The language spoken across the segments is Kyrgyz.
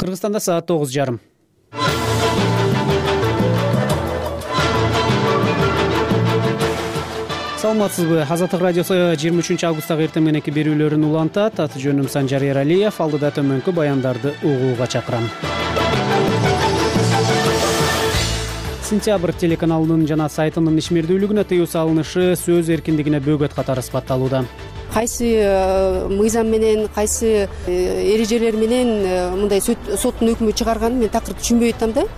Кыргызстанда саат 9:30. Саламатсызбы? Азаттык радиосу 23 августтагы эртең мененки берүүлөрүн улантат. Аты жөнүм Санжар Эралиев. Алдыда төмөнкү баяндарды угууга чакырам. Сентябрь телеканалынын жана сайтынын ишмердүүлүгүнө тыюу салынышы сөз эркиндигине бөгөт катары сыпатталууда. Кайсы мыйзам менен, кайсы эрежелер менен мындай соттун өкмү чыгарганын мен такыр түшүнбөй атам да.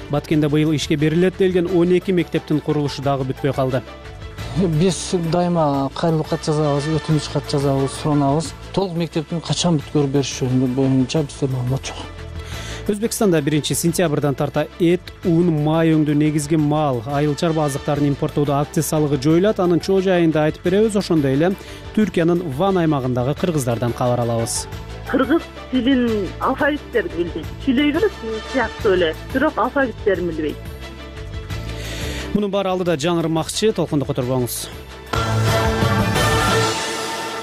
Баткенде быйыл ишке берилет делген 12 мектептин курулушу дагы бүтпөй калды. Биз дайыма кайрылуу кат жазабыз, өтүнүч кат жазабыз, суранабыз. Толук мектептин качан бүткөрүп бериши боюнча бизде маалымат жок. Өзбекстанда 1-сентябрдан тарта эт, ун, май өңдүү негизги мал, айыл чарба азыктарын импорттоодо акциз салыгы жоюлат. Анын чоо жайында айтып беребиз. Ошондой эле Түркиянын Ван аймагындагы кыргыздардан кабар алабыз. Кыргыз тилин алфавиттерди билбейт. Сүйлөй берет сыяктуу эле, бирок алфавиттерин билбейт. Мунун баары алдыда жаңырмакчы, толкунду которбоңуз.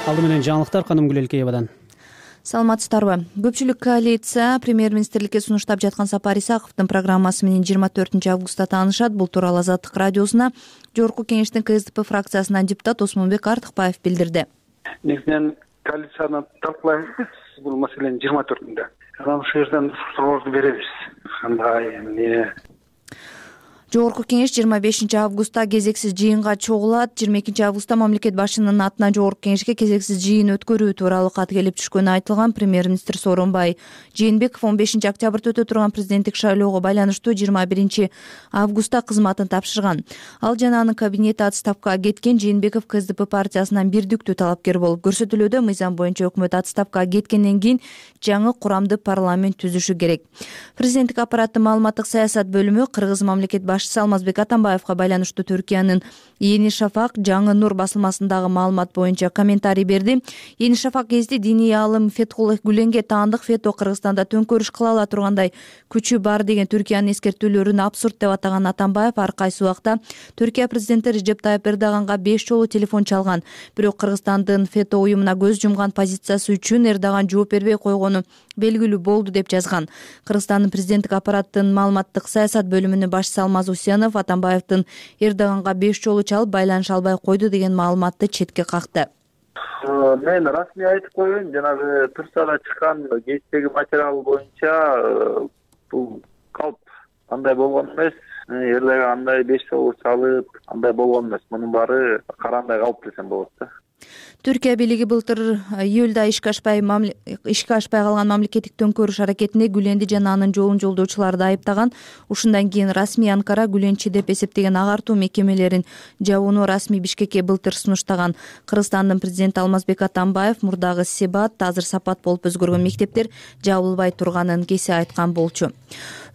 Алды менен жаңылыктар Канымгүл Элкеевадан. Саламатсыздарбы? Көпчүлүк коалиция премьер-министрликке сунуштап жаткан Сапар Исаковдун программасы менен 24 августта таанышат. Бул тууралуу Азаттык радиосуна Жогорку кеңештин КСДП фракциясынан депутат Осмонбек Артыкбаев билдирди. Негизинен коалицияны талкуулайбыз биз бул маселени 24-ндө. Анан ошол жерден суроолорду беребиз. Кандай эмне? Жогорку кеңеш 25 августта кезексиз жыйынга чогулат. 22 августта мамлекет башчынын атынан Жогорку кеңешке кезексиз жыйын өткөрүү тууралуу кат келип түшкөнү айтылган. Премьер-министр Сооронбай Жээнбеков 15 октябрда өтө турган президенттик шайлоого байланыштуу 21 августта кызматын тапшырган. Ал жана анын кабинети отставкага кеткен. Жээнбеков КСДП партиясынан бирдиктүү талапкер болуп көрсөтүлүүдө. Мыйзам боюнча өкмөт отставкага кеткенден кийин жаңы курамды парламент түзүшү керек. Президенттик аппараттын маалыматтык саясат бөлүмү Кыргыз мамлекет Алмазбек Атамбаевга байланыштуу Түркиянын Yeni Шафак жаңы нур басылмасындагы маалымат боюнча комментарий берди. Yeni Шафак гезити диний аалым Фетхуллах Гүленге таандык фето Кыргызстанда төңкөрүш кыла ала тургандай күчү бар деген Түркиянын эскертүүлөрүн абсурд деп атаган Атамбаев ар кайсы убакта Түркия президенти Режеп Тайып Эрдоганга 5 жолу телефон чалган. Бирок Кыргызстандын фето уюмуна көз жумган позициясы үчүн Эрдоган жооп бербей койгону белгилүү болду деп жазган. Кыргызстандын президенттик аппараттын маалыматтык саясат бөлүмүнүн башчысы Алмаз Усенов Атамбаевдин Эрдоганга 5 жолу чалып байланыша албай койду деген маалыматты четке какты. Мен расмий айтып коеюн, жанагы Турцияда чыккан гезиттеги материал боюнча бул калп андай болгон эмес. Эрдоган андай 5 жолу чалып андай болгон эмес. Мунун баары карандай калп десем болот да. Түркия бийлиги былтыр июлда ишке ашпай калган мамлекеттик төңкөрүш аракетинде Гүленди жана анын жолун жолдоочуларды айыптаган. Ушундан кийин расмий Анкара Гүленчи деп эсептеген агартуу мекемелерин жабууну расмий Бишкекке былтыр сунуштаган. Кыргызстандын президенти Алмазбек Атамбаев мурдагы Себат, азыр Сапат болуп өзгөргөн мектептер жабылбай турганын кесе айткан болчу.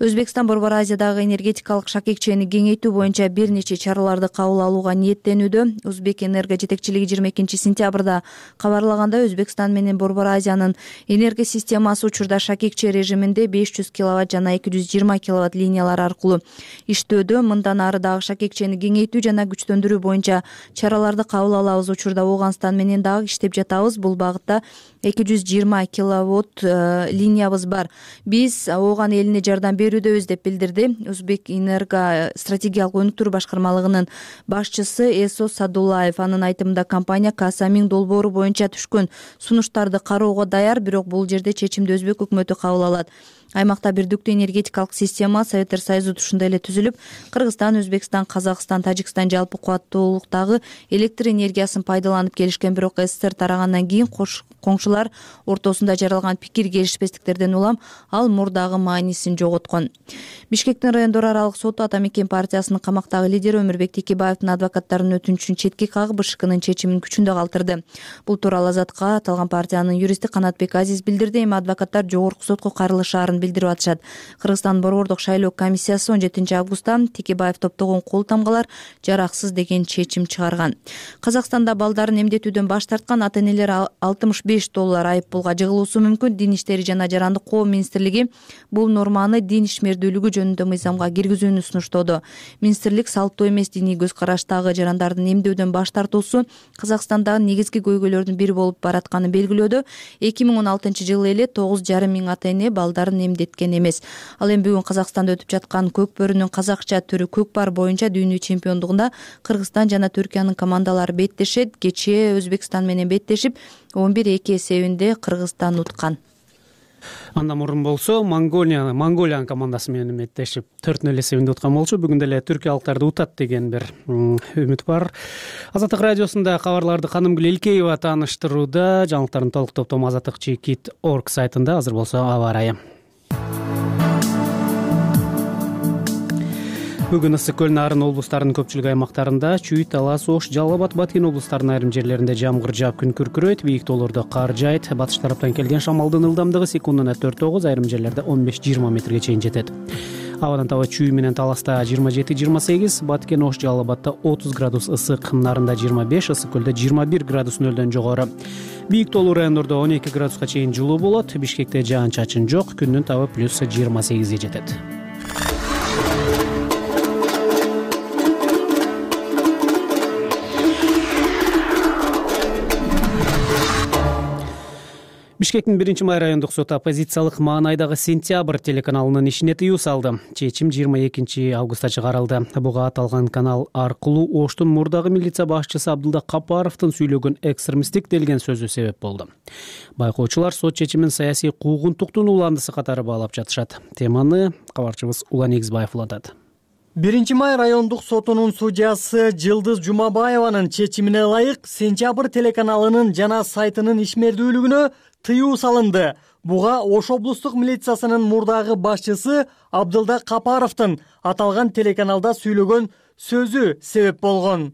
Өзбекстан Борбор Азиядагы энергетикалык шакекчени кеңейтүү боюнча бир нече чараларды кабыл алууга ниеттенүүдө. Өзбек энерго жетекчилиги 22 сентябрда кабарлагандай, Өзбекстан менен Борбор Азиянын энерго системасы учурда шакекче режиминде 500 киловатт жана 220 киловатт линиялар аркылуу иштөөдө. Мындан ары дагы шакекчени кеңейтүү жана күчтөндүрүү боюнча чараларды кабыл алабыз. Учурда Ооганстан менен дагы иштеп жатабыз. Бул багытта 220 киловатт линиябыз бар. Биз Ооган элине жардам берүүдөбүз деп билдирди Өзбек энерго стратегиялык өнүктүрүү башкармалыгынын башчысы Эсо Садулаев. Анын айтымында компания Касамин долбоору боюнча түшкөн сунуштарды кароого даяр, бирок бул жерде чечимди Өзбек өкмөтү кабыл алат. Аймакта бирдиктүү энергетикалык система Советтер Союзу ушундай эле түзүлүп, Кыргызстан, Өзбекстан, Казакстан, Тажикстан жалпы кубаттуулуктагы электр энергиясын пайдаланып келишкен. Бирок СССР тарагандан кийин коңшулар ортосунда жаралган пикир келишпестиктерден улам ал мурдагы маанисин жоготкон. Бишкектин райондор аралык соту Ата Мекен партиясынын камактагы лидери Өмүрбек Текебаевдин адвокаттарынын өтүнүчүн четке кагып, БШКнын чечимин күчүндө калтырды. Бул тууралуу Азатка аталган партиянын юристи Канатбек Азиз билдирди. Эми адвокаттар жогорку сотко кайрылышаарын билдирип атышат. Кыргызстан борбордук шайлоо комиссиясы 17 августта Текебаев топтогон кол тамгалар жараксыз деген чечим чыгарган. Казакстанда балдарын эмдетүүдөн баш тарткан ата-энелер $65 айып пулга жыгылуусу мүмкүн. Дин иштери жана жарандык коом министрлиги бул норманы дин ишмердүүлүгү жөнүндө мыйзамга киргизүүнү сунуштоодо. Министрлик салттуу эмес диний көз караштагы жарандардын эмдөөдөн баш тартуусу Казакстандагы негизги көйгөйлөрдүн бири болуп баратканын белгилөөдө. 2016 жылы эле 9,5 миң ата-эне балдарын эмдеткен эмес. Ал эми бүгүн Казакстанда өтүп жаткан көк бөрүнүн казакча түрү көкпар боюнча дүйнө чемпиондугунда Кыргызстан жана Түркиянын командалары беттешет. Кечээ Өзбекстан менен беттешип 11-2 эсебинде Кыргызстан уткан. Андан мурун болсо Монголиянын командасы менен беттешип 4-0 эсебинде уткан болчу. Бүгүн деле түркиялыктарды утат деген бир үмүт бар. Азаттык радиосунда кабарларды Канымгүл Элкеева тааныштырууда. Жаңылыктардын толук топтому azattik.org сайтында. Азыр болсо аба ырайы. Бүгүн ысык көл, Нарын облустарынын көпчүлүк аймактарында, Чүй, Талас, Ош, Жалал Абад, Баткен облустарынын айрым жерлеринде жамгыр жаап күн күркүрөйт, бийик тоолордо кар жаайт. Батыш тараптан келген шамалдын ылдамдыгы секундуна 4-9, айрым жерлерде 15-20 метрге чейин жетет. Абадан таба Чүй менен Таласта 27-28, Баткен, Ош, Жалал Абадда 30 градус ысык, Нарында 25, ысык көлдө 21 градус нөлдөн жогору. Бийик тоолуу райондордо 12 градуска чейин жылуу болот. Бишкекте жаан-чачын жок, күндүн табы плюс 28 жетет. Бишкектин 1-май райондук соту оппозициялык маанайдагы Сентябрь телеканалынын ишине тыюу салды. Чечим 22 августта чыгарылды. Буга аталган канал аркылуу Оштун мурдагы милиция башчысы Абдылда Капаровдун сүйлөгөн экстремисттик делген сөзү себеп болду. Байкоочулар сот чечимин саясий куугунтуктун уландысы катары баалап жатышат. Теманы кабарчыбыз Улан Эгизбаев улантат. 1-май райондук сотунун судьясы Жылдыз Жумабаеванын чечимине ылайык Сентябрь телеканалынын жана сайтынын ишмердүүлүгүнө тыюу салынды. Буга Ош облустук милициясынын мурдагы башчысы Абдылда Капаровдун аталган телеканалда сүйлөгөн сөзү себеп болгон.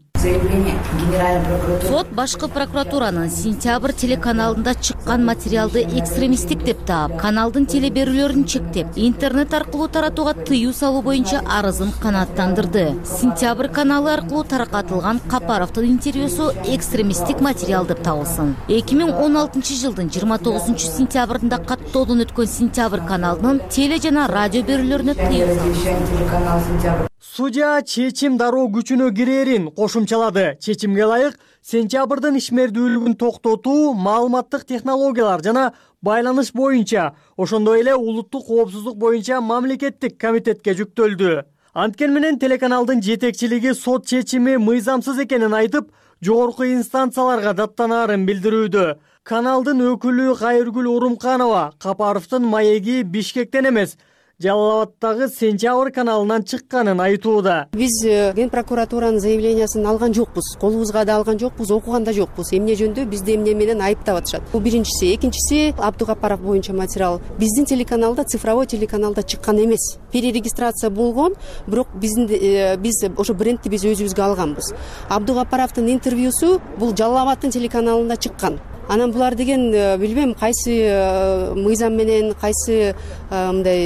Сот башкы прокуратуранын Сентябрь телеканалында чыккан материалды экстремисттик деп таап, каналдын телеберүүлөрүн чектеп, интернет аркылуу таратууга тыюу салуу боюнча арызын канааттандырды. Сентябрь каналы аркылуу таркатылган Капаровдун интервьюсу экстремисттик материал деп табылсын. 2016 жылдын 29 сентябрында каттоодон өткөн Сентябрь каналынын теле жана радио берүүлөрүнө тыюу салынды. Судья чечим дароо күчүнө кирээрин кошумчалады. Чечимге ылайык Сентябрдын ишмердүүлүгүн токтотуу, маалыматтык технологиялар жана байланыш боюнча, ошондой эле улуттук коопсуздук боюнча мамлекеттик комитетке жүктөлдү. Анткени менен телеканалдын жетекчилиги сот чечими мыйзамсыз экенин айтып, жогорку инстанцияларга даттанаарын билдирүүдө. Каналдын өкүлү Кайыргүл Урумканова Капаровдун маеги Бишкектен эмес, Жалал Абаддагы Сентябрь каналынан чыкканын айтууда. Биз Ген прокуратуранын заявлениясын алган жокпуз, колубузга да алган жокпуз, окуган да жокпуз. Эмне жөндө бизди эмне менен айыптап атышат. Бул биринчиси. Экинчиси, Абдукапаров боюнча материал биздин телеканалда, цифровой телеканалда чыккан эмес. Перерегистрация болгон, бирок биз ошо брендти биз өзүбүзгө алганбыз. Абдукапаровдун интервьюсу бул Жалал Абаддын телеканалында чыккан. Анан булар деген билбейм кайсы мыйзам менен, кайсы мындай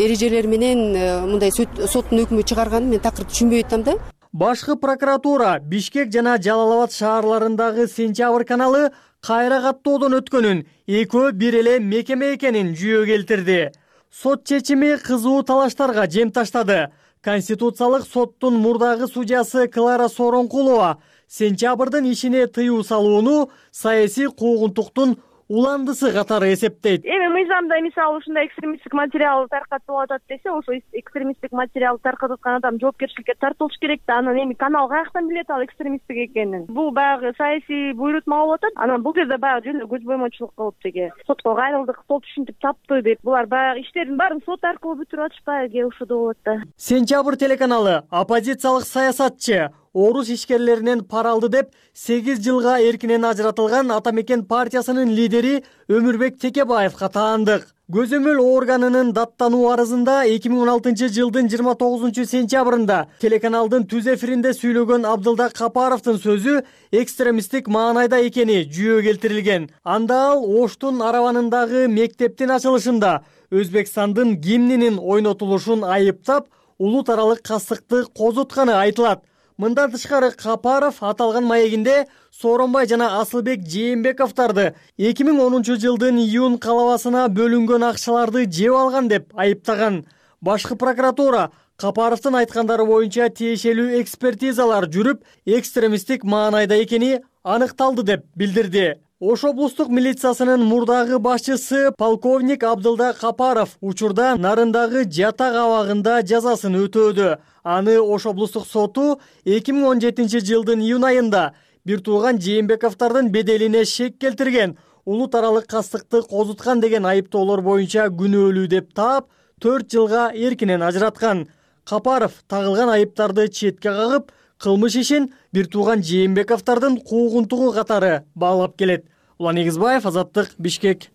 эрежелер менен мындай соттун өкмү чыгарганын мен такыр түшүнбөй атам да. Башкы прокуратура Бишкек жана Жалал Абад шаарларындагы Сентябрь каналы кайра каттоодон өткөнүн, экөө бир эле мекеме экенин жүйө келтирди. Сот чечими кызуу талаштарга жем таштады. Конституциялык соттун мурдагы судьясы Клара Соронкулова Сентябрдын ишине тыюу салууну саясий куугунтуктун уландысы катары эсептейт. Эми мыйзамда мисалы ушундай экстремисттик материал таркатып атат десе, ошо экстремисттик материал таркатып аткан адам жоопкерчиликке тартылыш керек да. Анан эми канал каяктан билет ал экстремисттик экенин? Бул баягы саясий буйрутма болуп атат. Анан бул жерде баягы жөн көз боймочулук кылып деге. Сотко кайрылдык, сот ушинтип тапты деп, булар баягы иштердин баарын сот аркылуу бүтүрүп атышпайбы, ушондой болот да. Сентябрь телеканалы оппозициялык саясатчы орус ишкерлеринен пара алды деп 8 жылга эркинен ажыратылган Ата Мекен партиясынын лидери Өмүрбек Текебаевга таандык. Көзөмөл органынын даттануу арызында 2016 жылдын 29 сентябрында телеканалдын түз эфиринде сүйлөгөн Абдылда Капаровдун сөзү экстремисттик маанайда экени жүйө келтирилген. Анда ал Оштун арабанындагы мектептин ачылышында Өзбекстандын гимнинин ойнотулушун айыптап, улут аралык кастыкты козутканы айтылат. Мындан тышкары Капаров аталган маегинде Сооронбай жана Асылбек Жээнбековдорду 2010 жылдын июнь калабасына бөлүнгөн акчаларды жеп алган деп айыптаган. Башкы прокуратура Капаровдун айткандары боюнча тиешелүү экспертизалар жүрүп, экстремисттик маанайда экени аныкталды деп билдирди. Ош облустук милициясынын мурдагы башчысы полковник Абдылда Капаров учурда Нарындагы жатак абагында жазасын өтөөдө. Аны Ош облустук соту 2017 жылдын июнь айында бир тууган Жээнбековдордун беделине шек келтирген, улут аралык кастыкты козуткан деген айыптоолор боюнча күнөөлүү деп таап 4 жылга эркинен ажыраткан. Капаров тагылган айыптарды четке кагып, кылмыш ишин бир тууган Жээнбековдордун куугунтугу катары баалап келет. Улан Эгизбаев, Азаттык, Бишкек.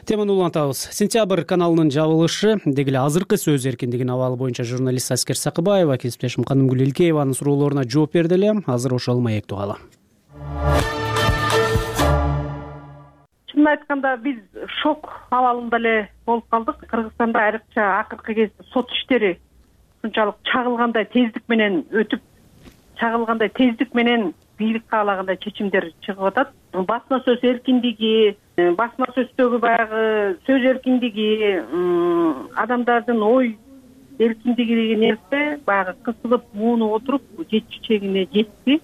Теманы улантабыз. Сентябрь каналынын жабылышы, деги эле азыркы сөз эркиндигинин абалы боюнча журналист Аскер Сакыбаева кесиптешим Канымгүл Элкееванын суроолоруна жооп берди эле. Азыр ошол маектүү кала. Чынын айтканда биз шок абалында эле болуп калдык. Кыргызстанда айрыкча акыркы кезде сот иштери ушунчалык чагылгандай тездик менен өтүп, чагылгандай тездик менен бийлик каалагандай чечимдер чыгып атат. Басма сөз эркиндиги, басма сөздөгү баягы сөз эркиндиги, адамдардын ой эркиндиги деген нерсе баягы кысылып, муунуп отуруп жетчү чегине жетти.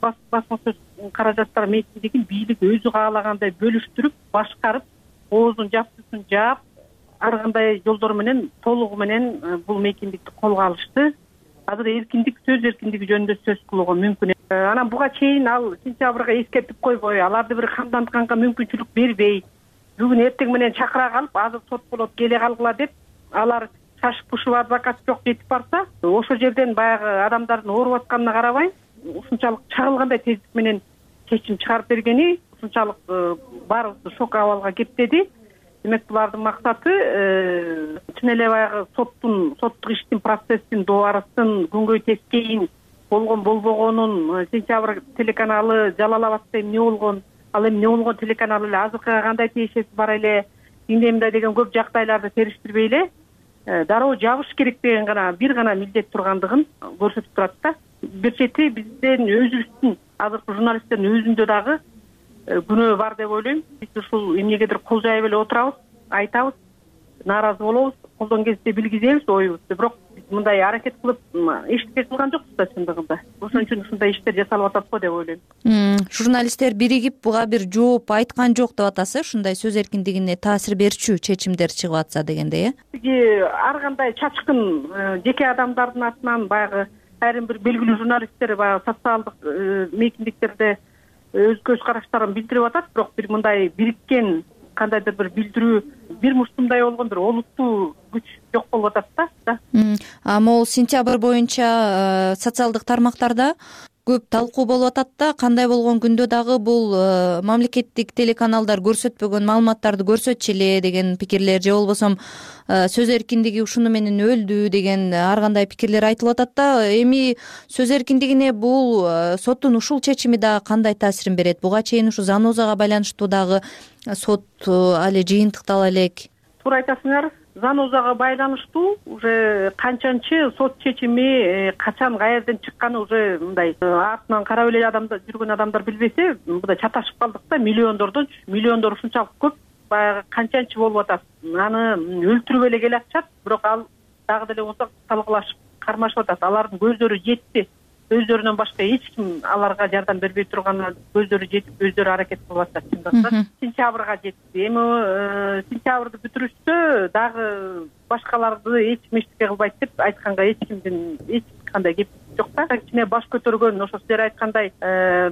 Басма сөз каражаттар мектебин бийлик өзү каалагандай бөлүштүрүп, башкарып, оозун жаптысын жаап, ар кандай жолдор менен толугу менен бул мейкиндикти колго алышты. Азыр эркиндик, сөз эркиндиги жөнүндө сөз кылууга мүмкүн. Анан буга чейин ал сентябрга эскертип койбой, аларды бир камдантканга мүмкүнчүлүк бербей, бүгүн эртең менен чакыра калып, азыр сот болот, келе калгыла деп, алар шашып пушуп адвокат жок жетип барса, ошол жерден баягы адамдардын ооруп атканына карабай, ушунчалык чагылгандай тездик менен чечим чыгарып бергени ушунчалык баарыбызды шок абалга кептеди. Демек булардын максаты чын эле баягы соттук иштин процесстин дубарасын күнгөй тескейин болгон болбогонун сентябрь телеканалы Жалал-Абадта эмне болгон, ал эмне болгон телеканал эле азыркыга кандай тиешеси бар эле, эмне мындай деген көп жагдайларды териштирбей эле дароо жабыш керек деген бир гана милдет тургандыгын көрсөтүп турат да. Бир чети бизден өзүбүздүн азыркы журналисттердин өзүндө дагы күнөө бар деп ойлойм. Биз ушул эмнегедир кол жайып эле отурабыз, айтабыз, нааразы болобуз, колдон келсе билгизебиз оюбузду, бирок биз мындай аракет кылып эчтеке кылган жокпуз да чындыгында. Ошон үчүн ушундай иштер жасалып атат го деп ойлойм. Журналисттер биригип буга бир жооп айткан жок деп атасыз, ушундай сөз эркиндигине таасир берчү чечимдер чыгып атса дегендей, ар кандай чачкын жеке адамдардын атынан баягы айрым бир белгилүү журналисттер баягы социалдык мейкиндиктерде өз көз караштарын билдирип атат, бирок бир мындай бириккен кандайдыр бир билдирүү, бир муштумдай болгон бир олуттуу күч жок болуп атат да. Могул сентябрь боюнча социалдык тармактарда көп талкуу болуп атат да, кандай болгон күндө дагы бул мамлекеттик телеканалдар көрсөтпөгөн маалыматтарды көрсөтчү эле деген пикирлер, же болбосо сөз эркиндиги ушуну менен өлдү деген ар кандай пикирлер айтылып атат да. Эми сөз эркиндигине бул соттун ушул чечими дагы кандай таасирин берет? Буга чейин ушу Занозага байланыштуу дагы сот али жыйынтыктала элек. Туура айтасыңар. Занозага байланыштуу уже канчанчы сот чечими качан каерден чыкканы уже мындай артынан карап эле жүргөн адамдар билбесе, мындай чаташып калдык да, миллиондор ушунчалык көп, баягы канчанчы болуп атат. Аны өлтүрүп эле келатышат, бирок ал дагы деле болсо талкуулашып кармашып атат. Алардын көздөрү жетти. Өздөрүнөн башка эч ким аларга жардам бербей турганына көздөрү жетип, өздөрү аракет кылып атат чындыгында. Сентябрга жетти. Эми сентябрды бүтүрүштө дагы башкаларды эч ким эчтеке кылбайт деп айтканга эч кимдин эч кандай кеп жок да. Кичине баш көтөргөн, ошо силер айткандай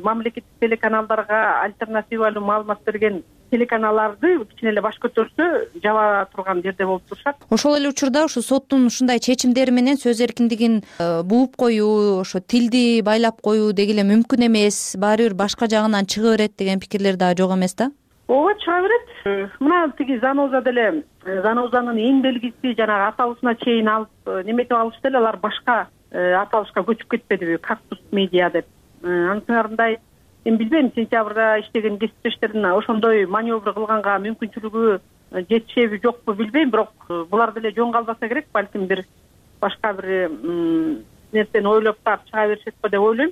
мамлекеттик телеканалдарга альтернативалуу маалымат берген телеканалдарды кичине эле баш көтөрсө жаба турган жерде болуп турушат. Ошол эле учурда ушу соттун ушундай чечимдери менен сөз эркиндигин бууп коюу, ошо тилди байлап коюу деги эле мүмкүн эмес, баары бир башка жагынан чыга берет деген пикирлер дагы жок эмес да. Ооба, чыга берет. Мына тиги Заноза деле, Занозанын эң белгиси жанагы аталышына чейин алып неметип алышты эле, алар башка аталышка көчүп кетпедиби, Кактус медиа деп. Анысыңарындай эми билбейм, сентябрда иштеген кесиптештердин ошондой маневр кылганга мүмкүнчүлүгү жетишеби жокпу билбейм, бирок булар деле жөн калбаса керек, балким бир башка бир нерсени ойлоп таап чыга беришет го деп ойлойм.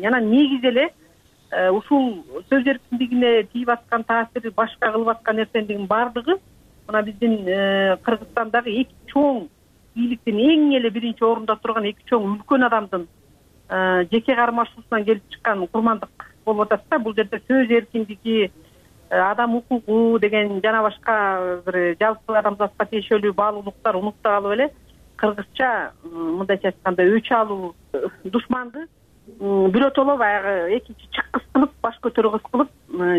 Анан негизи эле ушул сөз эркиндигине тийип аткан таасири, башка кылып аткан нерсенин баардыгы мына биздин Кыргызстандагы эки чоң бийликтин эң эле биринчи орунда турган эки чоң үлкөн адамдын жеке кармашуусунан келип чыккан курмандык болуп атат да. Бул жерде сөз эркиндиги, адам укугу деген жана башка бир жалпы адамзатка тиешелүү баалуулуктар унукталып эле кыргызча мындайча айтканда өч алуу душманды биротоло баягы экинчи чыккыс кылып баш көтөргүс кылып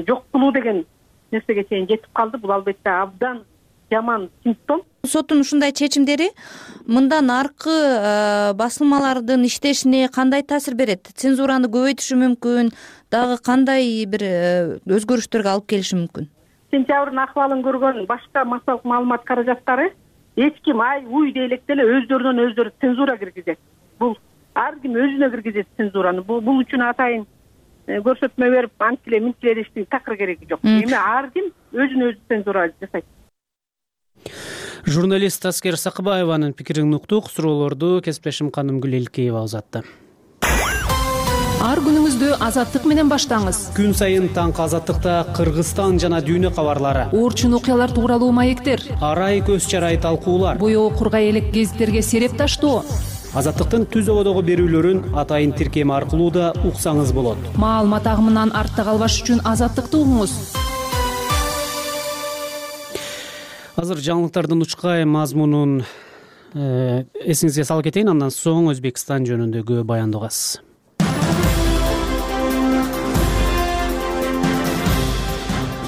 жок кылуу деген нерсеге чейин жетип калды. Бул албетте абдан жаман симптом. Соттун ушундай чечимдери мындан аркы басылмалардын иштешине кандай таасир берет? Цензураны көбөйтүшү мүмкүн, дагы кандай бир өзгөрүштөргө алып келиши мүмкүн? Сентябрдын акыбалын көргөн башка массалык маалымат каражаттары эч ким ай уй дей электе эле өздөрүнөн өздөрү цензура киргизет. Бул ар ким өзүнө киргизет цензураны. Бул үчүн атайын көрсөтмө берип антиле минтиле дештин такыр кереги жок. Эми ар ким өзүнө өзү цензура жасайт. Журналист Аскер Сакыбаеванын пикирин уктук. Суроолорду кесиптешим Канымгүл Элкеева узатты. Ар күнүңүздү Азаттык менен баштаңыз. Күн сайын таңкы Азаттыкта Кыргызстан жана дүйнө кабарлары, Орчун окуялар тууралуу маектер, арай көз чарай талкуулар, боёо кургай элек гезиттерге сереп таштоо. Азаттыктын түз ободогу берүүлөрүн атайын тиркем аркылуу да уксаңыз болот. Маалымат агымынан артта калбаш үчүн Азаттыкты угуңуз. Азыр жаңылыктардын учкай мазмунун эсиңизге салып кетейин, андан соң Өзбекстан жөнүндөгү баянды угасыз.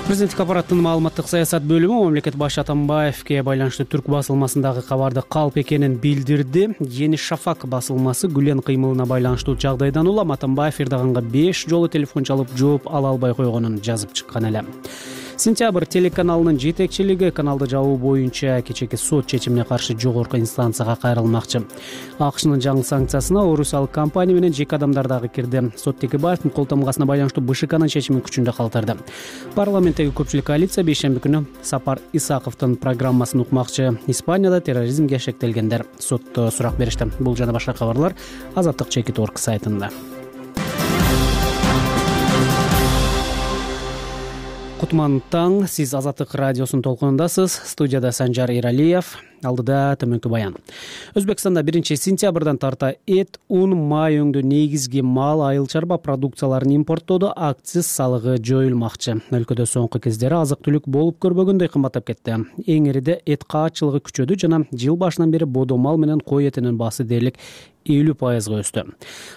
Президенттик аппараттын маалыматтык саясат бөлүмү мамлекет башы Атамбаевке байланыштуу түрк басылмасындагы кабарды калп экенин билдирди. Жени Шафак басылмасы Гүлен кыймылына байланыштуу жагдайдан улам Атамбаев Эрдоганга 5 жолу телефон чалып жооп ала албай койгонун жазып чыккан эле. Сентябрь телеканалынын жетекчилиги каналды жабуу боюнча кечээки сот чечимине каршы жогорку инстанцияга кайрылмакчы. АКШнын жаңы санкциясына орусиялык компания менен жеке адамдар дагы кирди. Сот Текебаевдин кол тамгасына байланыштуу БШКнын чечимин күчүндө калтырды. Парламенттеги көпчүлүк коалиция бейшемби күнү Сапар Исаковдун программасын укмакчы. Испанияда терроризмге шектелгендер сотто сурак беришти. Бул жана башка кабарлар Азаттык Чекит.орг сайтында. Кутман таң, сиз Азаттык радиосунун толкунундасыз. Студияда Санжар Иралиев, алдыда төмөнкү баян. Өзбекстанда 1 сентябрдан тарта эт, ун, май өңдүү негизги мал, айыл чарба продукцияларын импорттоодо акциз салыгы жоюлмакчы. Өлкөдө соңку кездери азык-түлүк болуп көрбөгөндөй кымбаттап кетти. Эң ириде эт каатчылыгы күчөдү жана жыл башынан бери бодо мал менен кой этинин баасы дээрлик 50% өстү.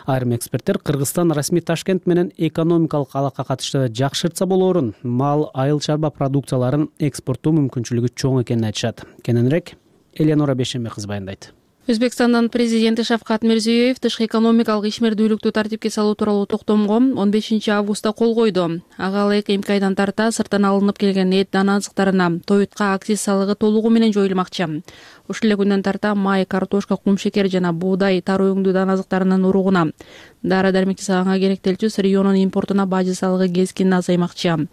Айрым эксперттер Кыргызстан расмий Ташкент менен экономикалык алака катышты жакшыртса болоорун, мал, айыл чарба продукцияларын экспорттоо мүмкүнчүлүгү чоң экенин айтышат. Кененирээк Эленора Бешембек кызы баяндайт. Өзбекстандын президенти Шавкат Мирзиёев тышкы экономикалык ишмердүүлүктү тартипке салуу тууралуу токтомго 15 августта кол койду. Ага ылайык эми айдан тарта сырттан алынып келген эт дана азыктарына тоютка акциз салыгы толугу менен жоюлмакчы. Ушул эле күндөн тарта май, картошка, кумшекер жана буудай, тары өңдүү дана азыктарынын уругуна, дары-дармек жасаганга керектелчү сырьёнун импортуна бажы салыгы кескин азаймакчы.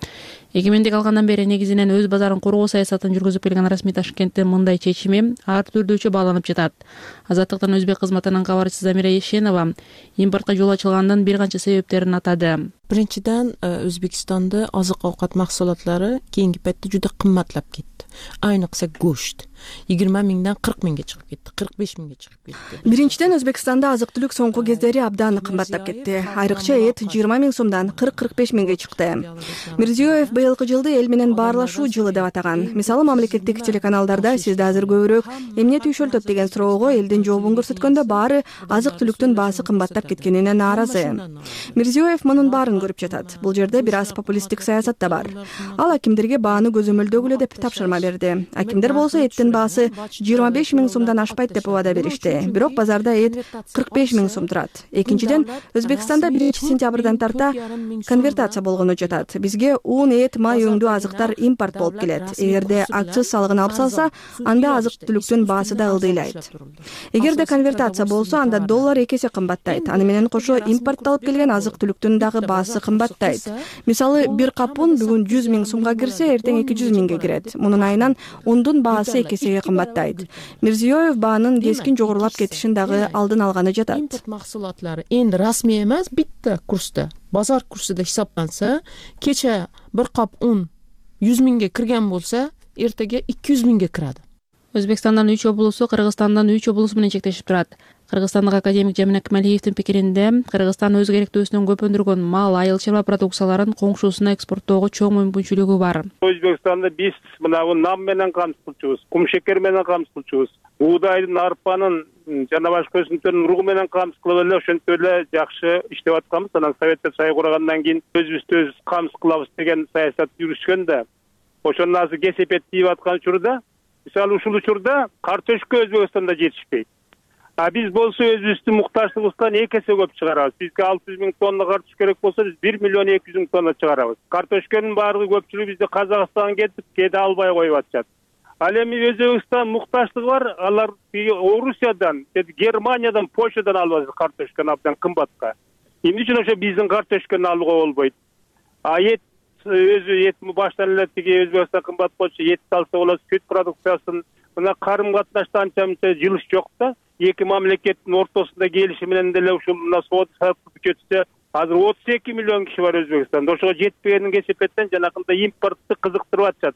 Эгемендик алгандан бери негизинен өз базарын коргоо саясатын жүргүзүп келген расмий Ташкенттин мындай чечими ар түрдүүчө бааланып жатат. Азаттыктын өзбек кызматынын кабарчысы Замира Ешенова импортко жол ачылганынын бир канча себептерин атады. Биринчиден, Өзбекстанда азык-оокат максулатлары кийинки петте жуда кымбатлап кетти. Айныкса гөшт 20 миңден 40 миңге чыгып кетти, 45 миңге чыгып кетти. Биринчиден, Өзбекстанда азык-түлүк соңку кездери абдан кымбаттап кетти. Айрыкча эт 20 миң сомдон 40-45 миңге чыкты. Мирзиёев быйылкы жылды эл менен баарлашуу жылы деп атаган. Мисалы, мамлекеттик телеканалдарда сизде азыр көбүрөөк эмне түйшөлтөт деген суроого элдин жообун көрсөткөндө баары азык-түлүктүн баасы кымбаттап кеткенине нааразы. Мирзиёев мунун баарын көрүп жатат. Бул жерде бир аз популисттик саясат да бар. Ал акимдерге бааны көзөмөлдөгүлө деп тапшырма берди. Акимдер болсо эттин баасы 25 миң сомдон ашпайт деп убада беришти. Бирок базарда эт 45 миң сом турат. Экинчиден, Өзбекстанда 1 сентябрдан тарта конвертация болгону жатат. Бизге ун, эт, май өңдүү азыктар импорт болуп келет. Эгерде акциз салыгын алып салса, анда азык-түлүктүн баасы да ылдыйлайт. Эгерде конвертация болсо, анда доллар 2 эсе кымбаттайт. Аны менен кошо импортталып келген азык-түлүктүн дагы баасы кымбаттайт. Мисалы, бир кап ун бүгүн 100 миң сомго кирсе, эртең 200 миңге кирет. Мунун айынан ундун баасы 2 эсеге кымбаттайт. Мирзиёев баанын кескин жогорулап кетишин дагы алдын алганы жатат. Импорт максулатлары энди расмий эмес, битте курста, базар курсуда хисаптанса, кече бир кап ун 100 миңге кирген болсо, эртеге 200 миңге кират. Өзбекстандын 3 облусу Кыргызстандын 3 облусу менен чектешип турат. Кыргызстандык академик Жамин Акмалиевдин пикиринде Кыргызстан өз керектөөсүнөн көп өндүргөн мал, айыл чарба продукцияларын коңшусуна экспорттоого чоң мүмкүнчүлүгү бар. Өзбекстанда биз мына нам менен камсыз кылчубуз, кум шекер менен камсыз кылчубуз, буудайдын, арпанын жана башка өсүмдүктөрдүн уругу менен камсыз кылып эле ошентип эле жакшы иштеп атканбыз. Анан Советтер Союзу кургандан кийин өзүбүздү өз камсыз кылабыз деген саясат жүрүшкөн да. Ошондон азыр кесепет тийип аткан учурда, мисалы ушул учурда картошка Өзбекстанда жетишпейт. А биз болсо өзүбүздүн муктаждыгыбыздан 2 эсе көп чыгарабыз. Бизге 600 000 тонна картош керек болсо, биз 1 миллион 200 000 тонна чыгарабыз. Картошканын баардыгы көпчүлүгү бизде Казакстанга кетип, кээде албай коюп атышат. Ал эми Өзбекстан муктаждыгы бар, алар Орусиядан, Германиядан, Польшадан алып атат картошканы абдан кымбатка. Эмне үчүн ошо биздин картошканы алууга болбойт? А өзү эт баштан эле тиги Өзбекстан кымбат болчу, эт алса болот, сүт продукциясын, мына карым катнашта анча-мынча жылыш жок да. Эки мамлекеттин ортосунда келиши менен деле ушул мына соода саттык кетсе, азыр 32 миллион киши бар Өзбекстанда. Ошого жетпегенин кесепеттен жанакында импортты кызыктырып атышат.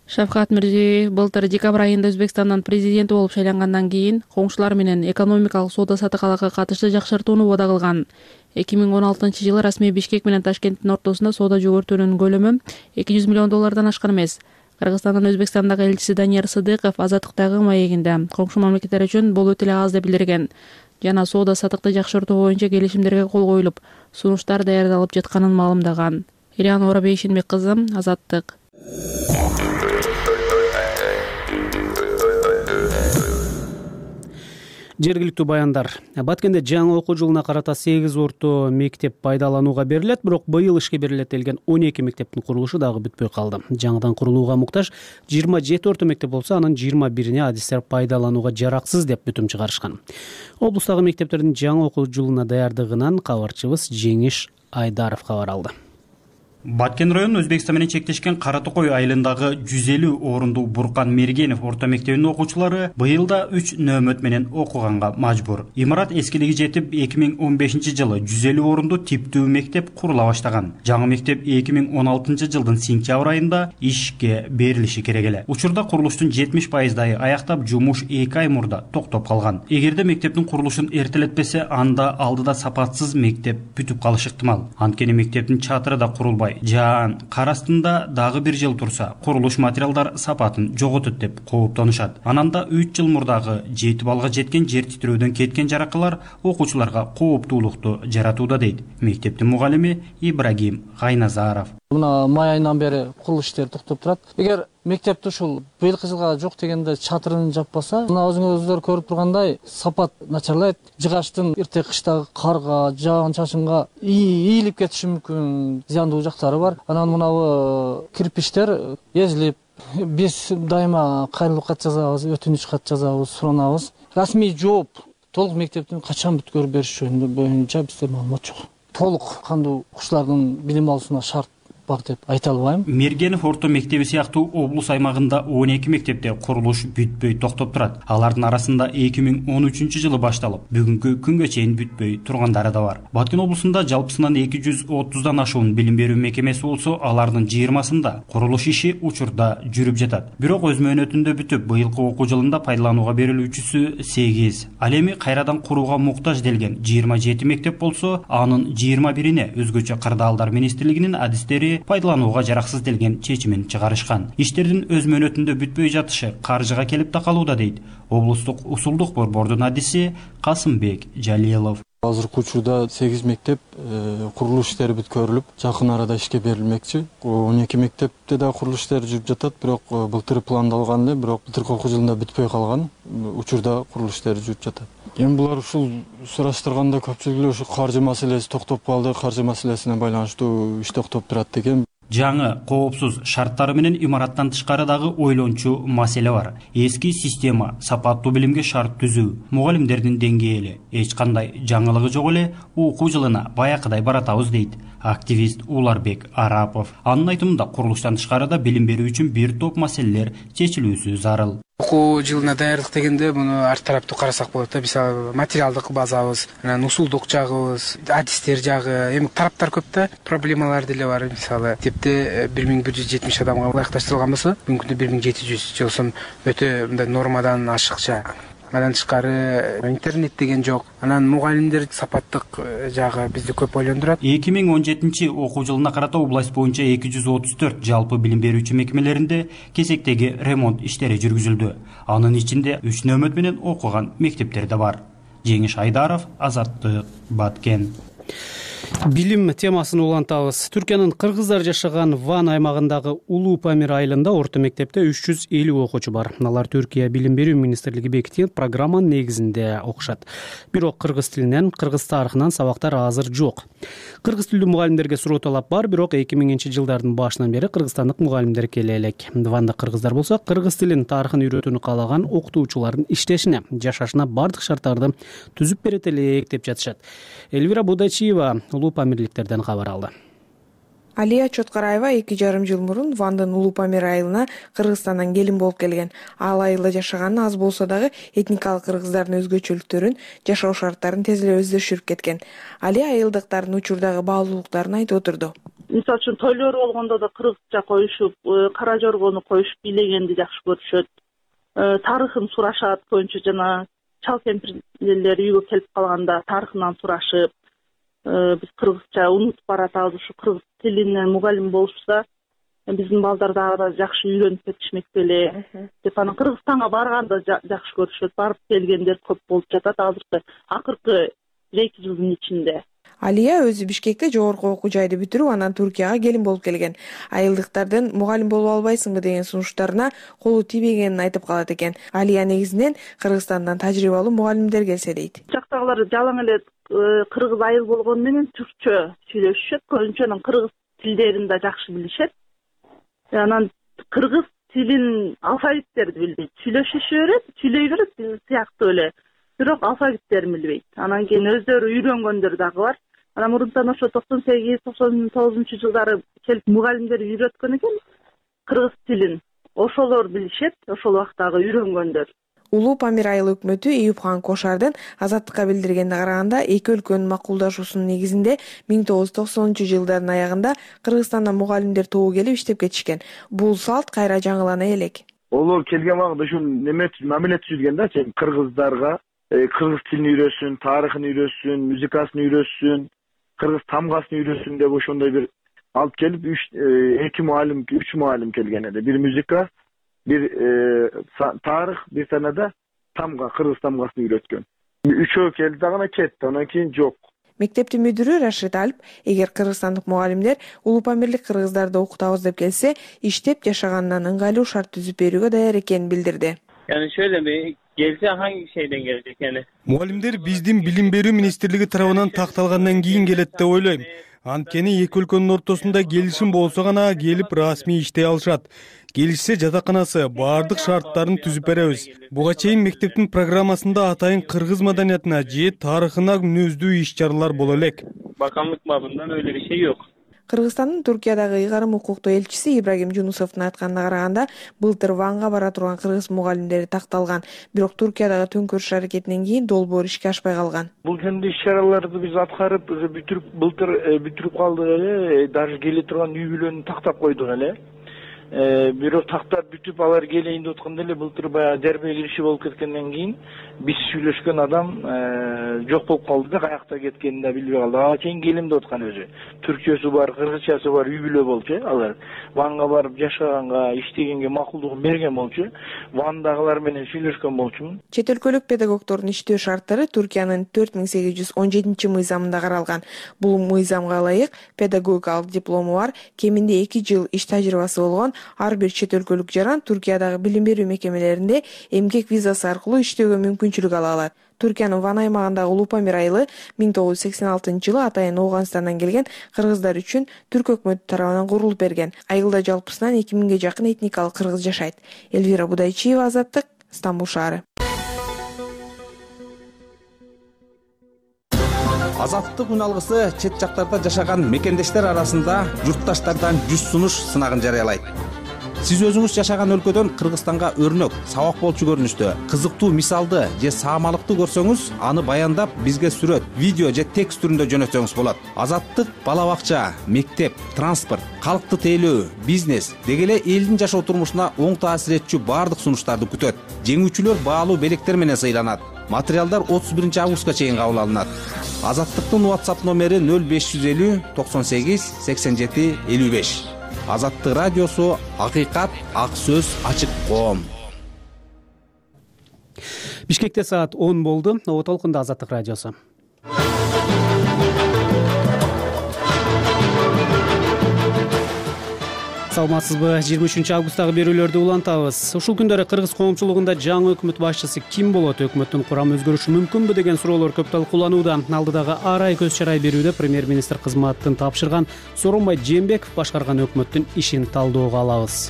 Шавкат Мирзиёев былтыр декабрь айында Өзбекстандан президенти болуп шайлангандан кийин коңшулар менен экономикалык соода саттыкка катышты жакшыртууну убада кылган. 2016-жылы расмий Бишкек менен Ташкенттин ортосунда соода жогортуунун көлөмү $200 миллион ашкан эмес. Кыргызстандын Өзбекстандагы элчиси Данияр Сыдыков азаттыктагы маегинде коңшу мамлекеттер үчүн бул өтө эле аз деп билдирген жана соода саттыкты жакшыртуу боюнча келишимдерге кол коюлуп, сунуштар даярдалып жатканын маалымдаган. Ириана Орабейшинбек кызы, Азаттык. Жергиликтүү баяндар. Баткенде жаңы окуу жылына карата 8 орто мектеп пайдаланууга берилет, бирок быйыл ишке берилет делген 12 мектептин курулушу дагы бүтпөй калды. Жаңыдан курулууга муктаж 27 орто мектеп болсо, анын 21-ине адистер пайдаланууга жараксыз деп бүтүм чыгарышкан. Облустагы мектептердин жаңы окуу жылына даярдыгынан кабарчыбыз Жеңиш Айдаров кабар алды. Баткен районунун Өзбекстан менен чектешкен Кара Токой айылындагы 150 орундуу Буркан Мергенов орто мектебинин окуучулары быйыл да 3 нөөмөт менен окуганга мажбур. Имарат эскилиги жетип 2015-жылы 150 орундуу типтүү мектеп курула баштаган. Жаңы мектеп 2016-жылдын сентябрь айында ишке берилиши керек эле. Учурда курулуштун 70%дайы аяктап, жумуш 2 ай мурда токтоп калган. Эгерде мектептин курулушун эртелетпесе, анда алдыда сапатсыз мектеп бүтүп калышы ыктымал. Анткени мектептин чатыры да курулбай, жаан кар астында дагы бир жыл турса, курулуш материалдар сапатын жоготот деп кооптонушат. Ананда 3 жыл мурдагы 7 балга жеткен жер титирөөдөн кеткен жаракалар окуучуларга кооптуулукту жаратууда дейт мектептин мугалими Ибрагим Гайназаров. Мына май айынан бери курулуш иштери токтоп турат. Эгер мектепти ушул быйылкы жылга жок дегенде чатырын жаппаса, мына өзүңүздөр көрүп тургандай сапат начарлайт. Жыгачтын эрте кыштагы карга, жаан чачынга ийилип кетиши мүмкүн, зыяндуу жактары бар. Анан мынабу кирпичтер эзилип, биз дайыма кайрылуу кат жазабыз, өтүнүч кат жазабыз, суранабыз. Расмий жооп толук мектептин качан бүткөрүп бериш жөнүндө боюнча бизде маалымат жок. Толук кандуу окуучулардын билим алуусуна шарт бар деп айта албайм. Мергенов орто мектеби сыяктуу облус аймагында 12 мектепте курулуш бүтпөй токтоп турат. Алардын арасында 2013-жылы башталып, бүгүнкү күнгө чейин бүтпөй тургандары да бар. Баткен облусунда жалпысынан 230дан ашуун билим берүү мекемеси болсо, алардын 20-сында курулуш иши учурда жүрүп жатат. Бирок өз мөөнөтүндө бүтүп, быйылкы окуу жылында пайдаланууга берилүүчүсү 8. Ал эми кайрадан курууга муктаж делген 27 мектеп болсо, анын 21-ине өзгөчө кырдаалдар министрлигинин адистери пайдаланууга жараксыз делген чечимин чыгарышкан. Иштердин өз мөөнөтүндө бүтпөй жатышы каржыга келип такалууда дейт облустук усулдук борбордун адиси Касымбек Жалилов. Азыркы учурда 8 мектеп курулуш иштери бүткөрүлүп, жакын арада ишке берилмекчи. 12 мектепте да курулуш иштери жүрүп жатат, бирок былтыр пландалган эле, бирок былтыркы окуу жылында бүтпөй калган. Учурда курулуш иштери жүрүп жатат. Эми булар ушул сураштырганда көпчүлүгү ушу каржы маселеси токтоп калды, каржы маселесине байланыштуу иш токтоп турат деген. Жаңы коопсуз шарттары менен имараттан тышкарыдагы ойлончу маселе бар. Эски система сапаттуу билимге шарт түзүү, мугалимдердин деңгээли эч кандай жаңылыгы жок эле окуу жылына баякыдай баратабыз дейт активист Уларбек Арапов. Анын айтымында курулуштан тышкарыда билим берүү үчүн бир топ маселелер чечилүүсү зарыл. Окуу жылына даярдык дегенде муну ар тараптуу карасак болот да. Мисалы материалдык базабыз, анан усулдук жагыбыз, адистер жагы, эми тараптар көп да, проблемалар деле бар. Мисалы мектепте 1170 адамга ылайыкташтырылган болсо, бүгүнкү күндө 1700 жолсом өтө мындай нормадан ашыкча. Андан тышкары интернет деген жок. Анан мугалимдер сапаттык жагы бизди көп ойлондурат. 2017 окуу жылына карата область боюнча 234 жалпы билим берүүчү мекемелеринде кезектеги ремонт иштери жүргүзүлдү. Анын ичинде 3 нөмөт менен окуган мектептер да бар. Жеңиш Айдаров, Азаттык, Баткен. Билим темасын улантабыз. Түркиянын кыргыздар жашаган Ван аймагындагы Улуу Памир айылында орто мектепте 350 окуучу бар. Алар Түркия билим берүү министрлиги бекиткен программанын негизинде окушат. Бирок кыргыз тилинен, кыргыз тарыхынан сабактар азыр жок. Кыргыз тилдүү мугалимдерге суроо талап бар, бирок 2000-жылдардын башынан бери кыргызстандык мугалимдер келе элек. Ванда кыргыздар болсо, кыргыз тилин, тарыхын үйрөтүүнү каалаган окутуучулардын иштешине, жашашына бардык шарттарды түзүп берет элек деп жатышат. Элвира Будачиева Улуу Памирликтерден кабар алды. Алия Чоткараева 2,5 жыл мурун Вандын Улуу Памир айылына Кыргызстандан келин болуп келген. Ал айылда жашаганы аз болсо дагы этникалык кыргыздардын өзгөчөлүктөрүн, жашоо шарттарын тез эле өздөштүрүп кеткен. Алия айылдыктардын учурдагы баалуулуктарын айтып отурду. Мисалы үчүн тойлор болгондо да кыргызча коюшуп, кара жоргону коюшуп бийлегенди жакшы көрүшөт. Тарыхын сурашат, көбүнчө жана чал кемпирлер үйгө келип калганда тарыхынан сурашып, биз кыргызча унутуп баратабыз, ушу кыргыз тилинен мугалим болушса, биздин балдар дагы жакшы үйрөнүп кетишмек беле деп, анан Кыргызстанга барганда жакшы көрүшөт. Барып келгендер көп болуп жатат азыркы акыркы 1-2 жылдын ичинде. Алия өзү Бишкекте жогорку окуу жайды бүтүрүп, анан Түркияга келин болуп келген. Айылдыктардын мугалим болуп албайсыңбы деген сунуштарына колу тийбегенин айтып калат экен. Алия негизинен Кыргызстандан тажрыйбалуу мугалимдер келсе дейт. Жактагылар жалаң эле кыргыз айыл болгону менен түркчө сүйлөшүшөт, көбүнчө кыргыз тилдерин да жакшы билишет. Анан кыргыз тилин алфавиттерди билбейт. Сүйлөшүшө берет, сүйлөй берет биз сыяктуу эле, бирок алфавиттерин билбейт. Анан кийин өздөрү үйрөнгөндөр дагы бар. Анан мурунтан ошо 98-99 жылдары келип мугалимдер үйрөткөн экен кыргыз тилин. Ошолор билишет, ошол убактагы үйрөнгөндөр. Улуу Памир айыл өкмөтү Эюпхан Кошардын Азаттыкка билдиргенине караганда, эки өлкөнүн макулдашуусунун негизинде 1990-жылдардын аягында Кыргызстандан мугалимдер тобу келип иштеп кетишкен. Бул салт кайра жаңылана элек. Олор келген убакыт ушул неме мамиле түзүлгөн да, кыргыздарга кыргыз тилин үйрөсүн, тарыхын үйрөсүн, музыкасын үйрөсүн, кыргыз тамгасын үйрөсүн деп ошондой бир алып келип 3 мугалим келген эди. Бир музыка, бир тарых, бир танада тамга, кыргыз тамгасын үйрөткөн. 3 келди дагы кетти, анан кийин жок. Мектептин мүдүрү Рашид Алп, эгер кыргызстандык мугалимдер Улуу Памирлик кыргыздарды окутабыз деп келсе, иштеп жашаганынан ыңгайлуу шарт түзүп берүүгө даяр экенин билдирди. Gelse hangi şeyden gelecek yani? Muhallimler биздин билим берүү министрлиги тарабынан такталгандан кийин келет деп ойлойм. Анткени эки өлкөнүн ортосунда келишим болсо гана келип расмий иштей алышат. Келишсе жатаканасы баардык шарттарын түзүп беребиз. Буга чейин мектептин программасында атайын кыргыз маданиятына же тарыхына мүнөздүү иш-чаралар боло элек. Bakanlık babından öyle bir şey yok. Кыргызстандын Түркиядагы ыйгарым укуктуу элчиси Ибрагим Жунусовдун айтканына караганда, былтыр Ванга бара турган кыргыз мугалимдери такталган, бирок Түркиядагы төңкөрүш аракетинен кийин долбоор ишке ашпай калган. Бул жөнүндө иш-чараларды биз аткарып, былтыр бүтүрүп калдык эле, даже келе турган үй бүлөнү тактап койдук эле. Бирок тактап бүтүп алар келейин деп атканда эле былтыр баягы дербе кириши болуп кеткенден кийин биз сүйлөшкөн адам жок болуп калды да, каякта кеткенин да билбей калды. Ага чейин келем деп аткан өзү. Түркчөсү бар, кыргызчасы бар үй бүлө болчу. Алар Ванга барып жашаганга, иштегенге макулдугун берген болчу. Вандагылар менен сүйлөшкөн болчумун. Чет өлкөлүк педагогдордун иштөө шарттары Түркиянын 4817 мыйзамында каралган. Бул мыйзамга ылайык педагогикалык диплому бар, кеминде 2 жыл иш тажрыйбасы болгон ар бир чет өлкөлүк жаран Түркиядагы билим берүү мекемелеринде эмгек визасы аркылуу иштөөгө мүмкүнчүлүк ала алат. Түркиянын Ван аймагындагы Улуу Памир айылы 1986-жылы атайын Ооганстандан келген кыргыздар үчүн Түрк өкмөтү тарабынан курулуп берген. Айылда жалпысынан 2000ге жакын этникалык кыргыз жашайт. Элвира Будайчиева, Азаттык, Стамбул шаары. Азаттык үн алгысы чет жактарда жашаган мекендештер арасында журтташтардан 100 сунуш сынагын жарыялайт. сиз өзүңүз жашаган өлкөдөн Кыргызстанга өрнөк, сабак болчу көрүнүштө кызыктуу мисалды же саамалыкты көрсөңүз, аны баяндап бизге сүрөт, видео же текст түрүндө жөнөтсөңүз болот. Азаттык бала бакча, мектеп, транспорт, калкты тейлөө, бизнес деги эле элдин жашоо турмушуна оң таасир этчү баардык сунуштарды күтөт. Жеңүүчүлөр баалуу белектер менен сыйланат. Материалдар 31 августка чейин кабыл алынат. Азаттыктын WhatsApp номери 0550 98 87 55. Азаттык радиосу, акыйкат, ак сөз, ачык коом. Бишкекте саат 10 болду. Оо толкунда Азаттык радиосу. Саламатсызбы? 23 августтагы берүүлөрдү улантабыз. Ушул күндөрү кыргыз коомчулугунда жаңы өкмөт башчысы ким болот? Өкмөттүн курамы өзгөрүшү мүмкүнбү деген суроолор көп талкууланууда. Алдыдагы ар ай көз чарай берүүдө премьер-министр кызматын тапшырган Сооронбай Жээнбеков башкарган өкмөттүн ишин талдөөгө алабыз.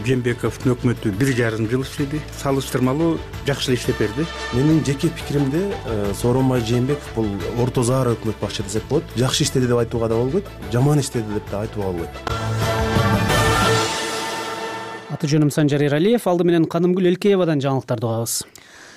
Жээнбековдун өкмөтү 1,5 жыл иштеди. Салыштырмалуу жакшы эле иштеп берди. Менин жеке пикиримде Сооронбай Жээнбеков бул орто заар өкмөт башчы десек болот. Жакшы иштеди деп айтууга да болбойт, жаман иштеди деп да айтууга болбойт. Аты жөнүм Санжар Эралиев. Алды менен Канымгүл Элкеевадан жаңылыктарды угабыз.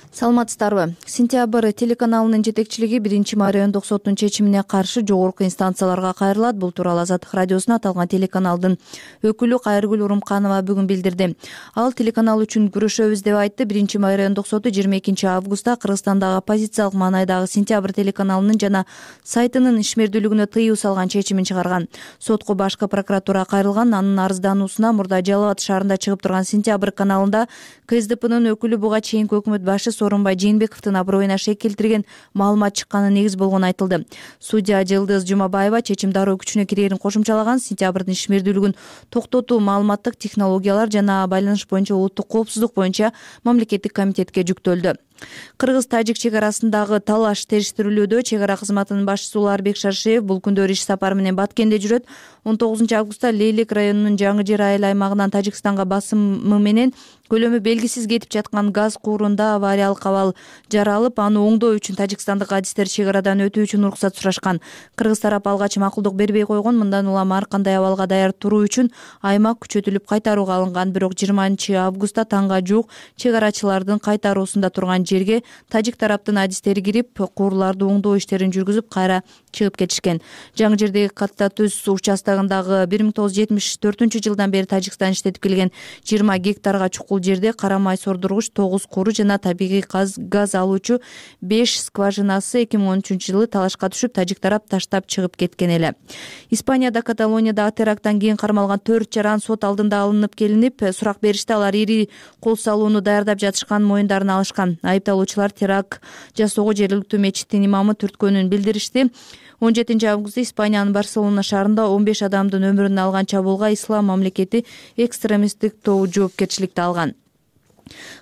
Саламатсыздарбы? Сентябрь телеканалынын жетекчилиги 1-май райондук соттун чечимине каршы жогорку инстанцияларга кайрылат. Бул тууралуу Азаттык радиосуна аталган телеканалдын өкүлү Кайыргүл Урумканова бүгүн билдирди. Ал телеканал үчүн күрөшөбүз деп айтты. 1-май райондук соту 22 августта Кыргызстандагы оппозициялык маанайдагы Сентябрь телеканалынын жана сайтынын ишмердүүлүгүнө тыюу салган чечимин чыгарган. Сотко башкы прокуратура кайрылган. Анын арыздануусуна мурда Жалал Абад шаарында чыгып турган Сентябрь каналында КСДПнын өкүлү буга чейинки өкмөт башы Сооронбай Жээнбековдун аброюна шек келтирген маалымат чыкканы негиз болгону айтылды. Судья Жылдыз Жумабаева чечим дароо күчүнө кирерин кошумчалаган. Сентябрдын ишмердүүлүгүн токтотуу маалыматтык технологиялар жана байланыш боюнча улуттук коопсуздук боюнча мамлекеттик комитетке жүктөлдү. Кыргыз-тажик чек арасындагы талаш териштирилүүдө. Чек ара кызматынын башчысы Уларбек Шаршеев бул күндөр иш сапары менен Баткенде жүрөт. 19 августта Лейлек районунун Жаңы Жер айыл аймагынан Тажикстанга басымы менен көлөмү белгисиз кетип жаткан газ куурунда авариялык абал жаралып, аны оңдоо үчүн тажикстандык адистер чек арадан өтүү үчүн уруксат сурашкан. Кыргыз тарап алгач макулдук бербей койгон. Мындан улам ар кандай абалга даяр туруу үчүн аймак күчөтүлүп кайтарууга алынган. Бирок 20 августта таңга жуук чек арачылардын кайтаруусунда турган жерге тажик тараптын адистери кирип, куурларды оңдоо иштерин жүргүзүп, кайра чыгып кетишкен. Жаңы Жердеги Катта Түз участогундагы 1974-жылдан бери Тажикстан иштетип келген 20 гектарга чукул жерде кара май сордургуч 9 куру жана табигый газ алуучу 5 скважинасы 2013-жылы талашка түшүп, тажик тарап таштап чыгып кеткен эле. Испанияда Каталонияда теракттан кийин кармалган 4 жаран сот алдында алынып келинип, сурак беришти. Алар ири кол салууну даярдап жатышкан моюндарына алышкан. Айыпталуучулар теракт жасоого жергиликтүү мечиттин имамы түрткөнүн билдиришти. 17 августта Испаниянын Барселона шаарында 15 адамдын өмүрүн алган чабуулга Ислам мамлекети экстремисттик тобу жоопкерчиликти алган.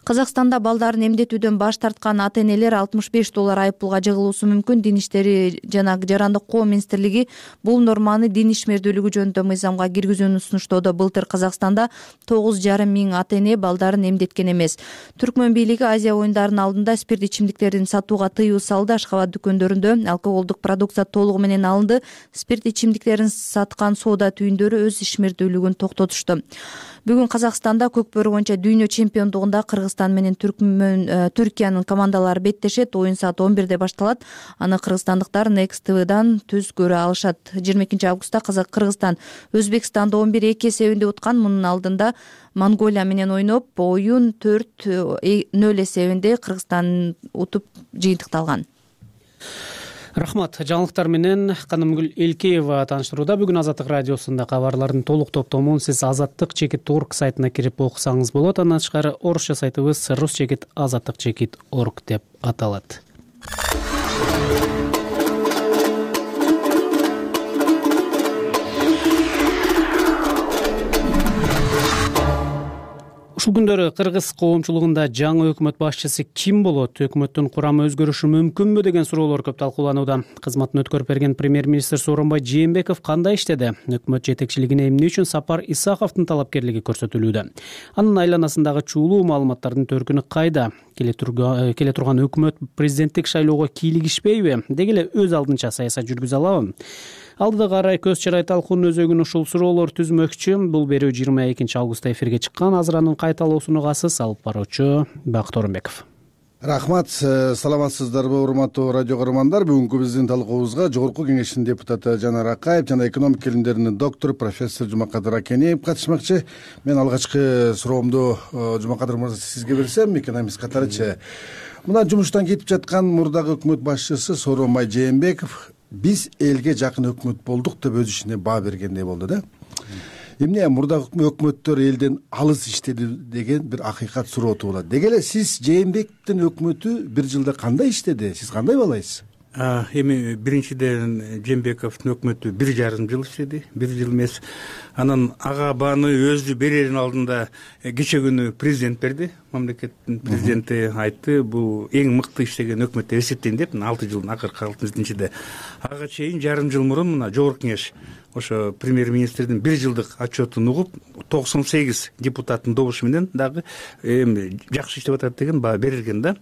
Казакстанда балдарын эмдетүүдөн баш тарткан ата-энелер $65 айыппулга жыгылуусу мүмкүн. Дин иштери жана жарандык коом министрлиги бул норманы дин ишмердүүлүгү жөнүндө мыйзамга киргизүүнү сунуштоодо. Былтыр Казакстанда 9,5 миң ата-эне балдарын эмдеткен эмес. Түркмөн бийлиги Азия оюндарынын алдында спирт ичимдиктерин сатууга тыюу салды. Ашкабад дүкөндөрүндө алкоголдук продукция толугу менен алынды. Спирт ичимдиктерин саткан соода түйүндөрү өз ишмердүүлүгүн токтотушту. Бүгүн Казакстанда көкбөрү боюнча дүйнө чемпиондугунда Кыргызстан менен Түркиянын командалары беттешет. Оюн саат 11-де башталат. Аны кыргызстандыктар Next TV-дан түз көрө алышат. 22 августта Кыргызстан Өзбекстанды 11-2 эсебинде уткан. Мунун алдында Монголия менен ойноп, оюн 4-0 эсебинде Кыргызстан утуп жыйынтыкталган. Рахмат. Жаңылыктар менен Канымгүл Элкеева тааныштырууда. Бүгүн Азаттык радиосунда кабарлардын толук топтомун сиз azattik.org сайтына кирип окусаңыз болот. Андан тышкары орусча сайтыбыз rus.azattik.org деп аталат. Ушул күндөрү кыргыз коомчулугунда жаңы өкмөт башчысы ким болот? Өкмөттүн курамы өзгөрүшү мүмкүнбү деген суроолор көп талкууланууда. Кызматын өткөрүп берген премьер-министр Сооронбай Жээнбеков кандай иштеди? Өкмөт жетекчилигине эмне үчүн Сапар Исаковдун талапкерлиги көрсөтүлүүдө? Анын айланасындагы чуулуу маалыматтардын төркүнү кайда? Келе турган өкмөт президенттик шайлоого кийлигишпейби? Деги эле өз алдынча саясат жүргүзө алабы? алдыда карай көз чырай талкуунун өзөгүн ушул суроолор түзмөкчү. Бул берүү 22 августта эфирге чыккан. Азыр анын кайталоосун угасыз. Алып баруучу Бакыт Орунбеков. Рахмат. Саламатсыздарбы урматтуу радио көрөрмандар? Бүгүнкү биздин талкуубузга Жогорку Кеңештин депутаты Жанар Акаев жана экономика илимдеринин доктору профессор Жумакадыр Акенеев катышмакчы. Мен алгачкы суроомду Жумакадыр мырза сизге берсем, экономист катарычы. Мына жумуштан кетип жаткан мурдагы өкмөт башчысы Сооронбай Жээнбеков биз элге жакын өкмөт болдук деп өз ишине баа бергендей болду да. Эмне мурдагы өкмөттөр элден алыс иштеди деген бир акыйкат суроо туулат. Деги эле сиз Жээнбековдун өкмөтү бир жылда кандай иштеди? Сиз кандай баалайсыз? Эми биринчиден Жээнбековдун өкмөтү 1,5 жыл иштеди. 1 жыл эмес. Анан ага бааны өзү берердин алдында кече күнү президент берди. Мамлекеттин президенти айтты, бул эң мыкты иштеген өкмөт деп эсептейм деп, 6 жылдын акыркы 6-жинчиде. Ага чейин жарым жыл мурун мына Жогорку Кеңеш ошо премьер-министрдин 1 жылдык отчетун угуп 98 депутаттын добушу менен дагы эми жакшы иштеп атат деген баа берилген да.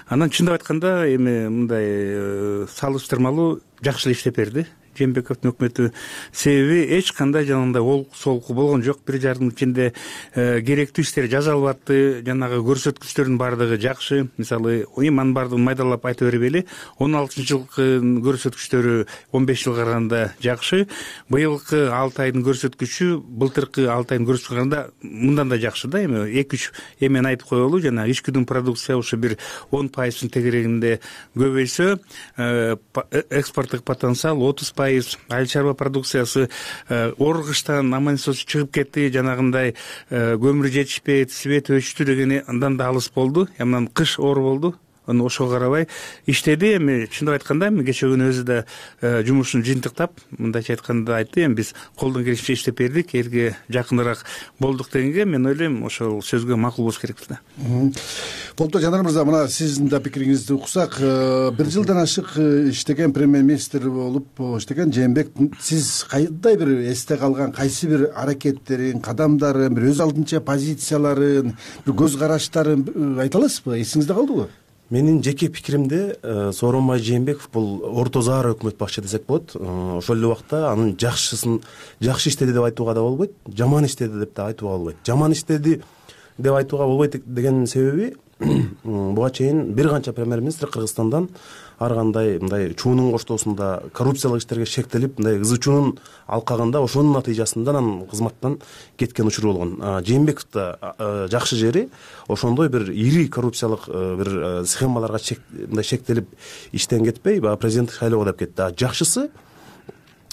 Анан чындап айтканда эми мындай салыштырмалуу жакшы эле иштеп берди Жээнбековдун өкмөтү. Себеби эч кандай жанагындай солку болгон жок. 1,5 жылдын ичинде керектүү иштер жасалып атты. Жанагы көрсөткүчтөрдүн баардыгы жакшы. Мисалы, анын баардыгын майдалап айта бербейли. 16-жылкы көрсөткүчтөрү 15 жылга караганда жакшы. Быйылкы 6 айдын көрсөткүчү былтыркы 6 айдын көрсөткүчүнө караганда мындан да жакшы да. Эми 2-3 эмени айтып коелу. Жана ичкүдүн продукция ошо бир 10% тегерегинде көбөйсө, экспорттук потенциал 30%. Айыл чарба продукциясы оргуштан аман-эсен чыгып кетти, жанагындай көмүр жетишпейт, свет өчтү деген андан да алыс болду. Анан кыш оор болду. Ошого карабай иштеди. Эми чындап айтканда эми кече күнү өзү да жумушун жыйынтыктап мындайча айтканда айтты, эми биз колдон келишинче иштеп бердик, элге жакыныраак болдук дегенге мен ойлойм ошол сөзгө макул болуш керекпиз да. Болупту. Жанар мырза, мына сиздин да пикириңизди уксак, 1 жылдан ашык иштеген премьер-министр болуп иштеген Жээнбек, сиз кандай бир эсте калган кайсы бир аракеттерин, кадамдарын, бир өз алдынча позицияларын, бир көз караштарын айта аласызбы? Эсиңизде калдыбы? Менин жеке пикиримде Сооронбай Жээнбеков бул орто заар өкмөт башчы десек болот. Ошол эле убакта анын жакшы иштеди деп айтууга да болбойт, жаман иштеди деп да айтууга болбойт. Жаман иштеди деп айтууга болбойт деген себеби буга чейин бир канча премьер-министр Кыргызстандан ар кандай мындай чуунун коштоосунда коррупциялык иштерге шектелип, мындай ызы чуунун алкагында ошонун натыйжасында анан кызматтан кеткен учуру болгон. Жээнбеков да жакшы жери ошондой бир ири коррупциялык бир схемаларга мындай шектелип иштен кетпей, баягы президенттик шайлоого деп кетти. Жакшысы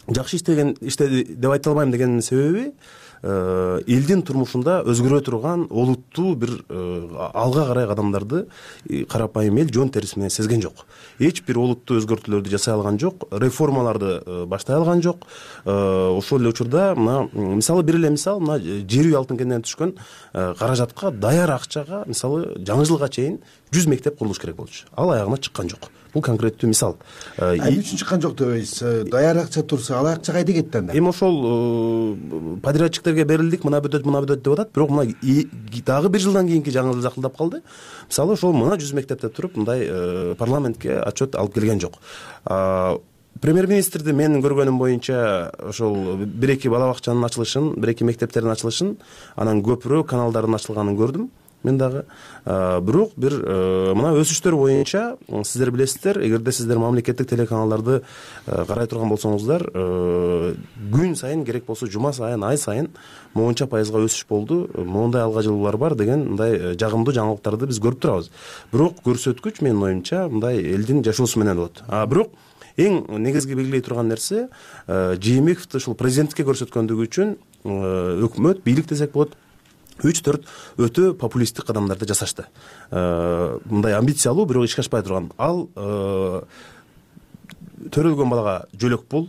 жакшы иштеди деп айта албайм дегенин себеби элдин турмушунда өзгөрө турган олуттуу бир алга карай кадамдарды карапайым эл жөн терisi менен сезген жок. Эч бир олуттуу өзгөртүүлөрдү жасай алган жок, реформаларды баштай алган жок. Ошол эле учурда мына мисалы бир эле мисал, мына жер үй алтын кенинен түшкөн каражатка, даяр акчага мисалы жаңы жылга чейин 100 мектеп курулуш керек болчу. Ал аягына чыккан жок. Бул конкреттүү мисал. Эмне үчүн чыккан жок дебейсиз? Даяр акча турса, ал акча кайда кетти анда? Эми ошол подрядчиктерге берилдик, мына бүтөт деп атат, бирок мына дагы 1 жылдан кийинки жаңы жыл жакындап калды. Мисалы ошол мына 100 мектепте туруп мындай парламентке отчет алып келген жок. Премьер-министрди менин көргөнүм боюнча ошол 1-2 бала бакчанын ачылышын, 1-2 мектептердин ачылышын, анан көпүрө каналдардын ачылганын көрдүм. Мен дагы бирок бир мына өсүштөр боюнча сиздер билесиздер, эгерде сиздер мамлекеттик телеканалдарды карай турган болсоңуздар, күн сайын керек болсо жума сайын, ай сайын монча пайызга өсүш болду, мондай алга жылуулар бар деген мындай жагымдуу жаңылыктарды биз көрүп турабыз. Бирок көрсөткүч менин оюмча мындай элдин жашоосу менен болот. Бирок эң негизги белгилей турган нерсе, Жээнбековду ушул президенттикке көрсөткөндүгү үчүн өкмөт, бийлик десек болот, 3-4 өтө популисттик кадамдарды жасашты. Мындай амбициялуу, бирок ишке ашпай турган. Ал төрөлгөн балага жөлөк пул,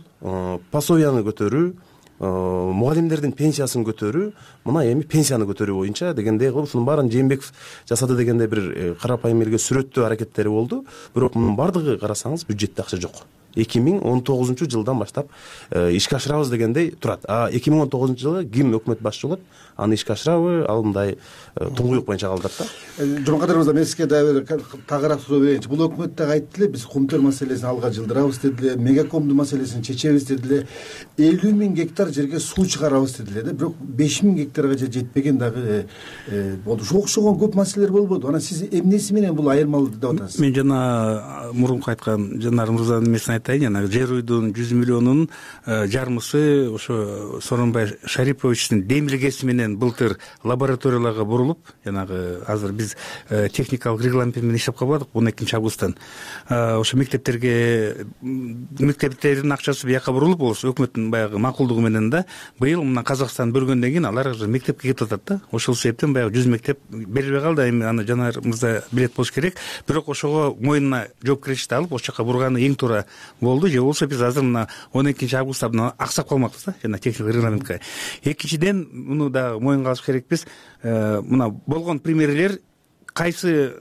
пособияны көтөрүү, мугалимдердин пенсиясын көтөрүү, мына эми пенсияны көтөрүү боюнча дегендей кылып ушунун баарын Жээнбеков жасады дегенде бир карапайым элге сүрөттөө аракеттери болду. Бирок мунун бардыгы карасаңыз бюджетте акча жок. жылдан баштап ишке ашырабыз дегендей турат. 2019 жылы ким өкмөт башчы болот, аны ишке ашырабы, ал мындай туңгуюк боюнча калдырат да. Жумакадыр мырза, мен сизге дагы бир тагыраак суроо берейинчи. Бул өкмөт дагы айтты эле, биз кумтөр маселесин алга жылдырабыз деди эле, мегакомдун маселесин чечебиз деди эле, 50 000 гектар жерге суу чыгарабыз деди эле да. Бирок 5 000 гектарга жетпеген дагы болду. Ошого окшогон көп маселелер болбоду. Анан сиз эмнеси менен бул айырмалык деп атасыз? Мен жана мурунку айткан Жанар мырзанын эмесин айтайын. Жана жер уйдун 100 миллионунун жармысы ошо Сооронбай Шариповичтин демилгеси менен былтыр лабораторияларга бурулуп, жанагы азыр биз техникалык регламент менен иштеп калбадык 12 августтан. Ошо мектептердин акчасы бияка бурулуп, болсо өкмөттүн баягы макулдугу менен да быйыл мына Казакстан бөлгөндөн кийин алар мектепке кетип атат да. Ошол себептен баягы 100 мектеп берилбей калды. Эми аны Жанар мырза билет болуш керек. Бирок ошого мойнуна жоопкерчиликти алып, ошол жака бурганы эң туура болду. Же болбосо биз азыр мына 12 августта аксап калмакпыз да, жана техникалык регламентке. Экинчиден, муну дагы мойнга алыш керекпиз. Мына болгон премьерлер кайсы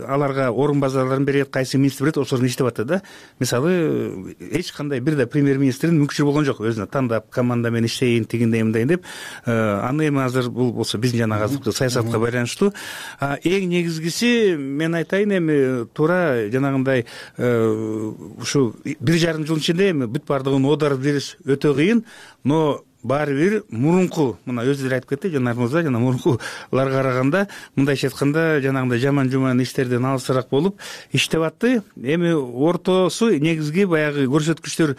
аларга орун базарларын берет, кайсы министр берет, ошолорун иштеп атат да. Мисалы, эч кандай бир да премьер-министрдин мүмкүнчүлүгү болгон жок өзүнө тандап команда менен иштейин, тигиндей мындайын деп. Аны эми азыр бул болсо биздин жанагы азыркы саясатка байланыштуу. Эң негизгиси мен айтайын, эми туура жанагындай ушу 1,5 жыл ичинде эми бүт баардыгын оодарып бериш өтө кыйын, но баары бир мурунку, мына өзүлөр айтып кетти Жанар мырза, жана мурункуларга караганда мындайча айтканда жанагындай жаман иштерден алысыраак болуп иштеп атты. Эми ортосу негизги баягы көрсөткүчтөр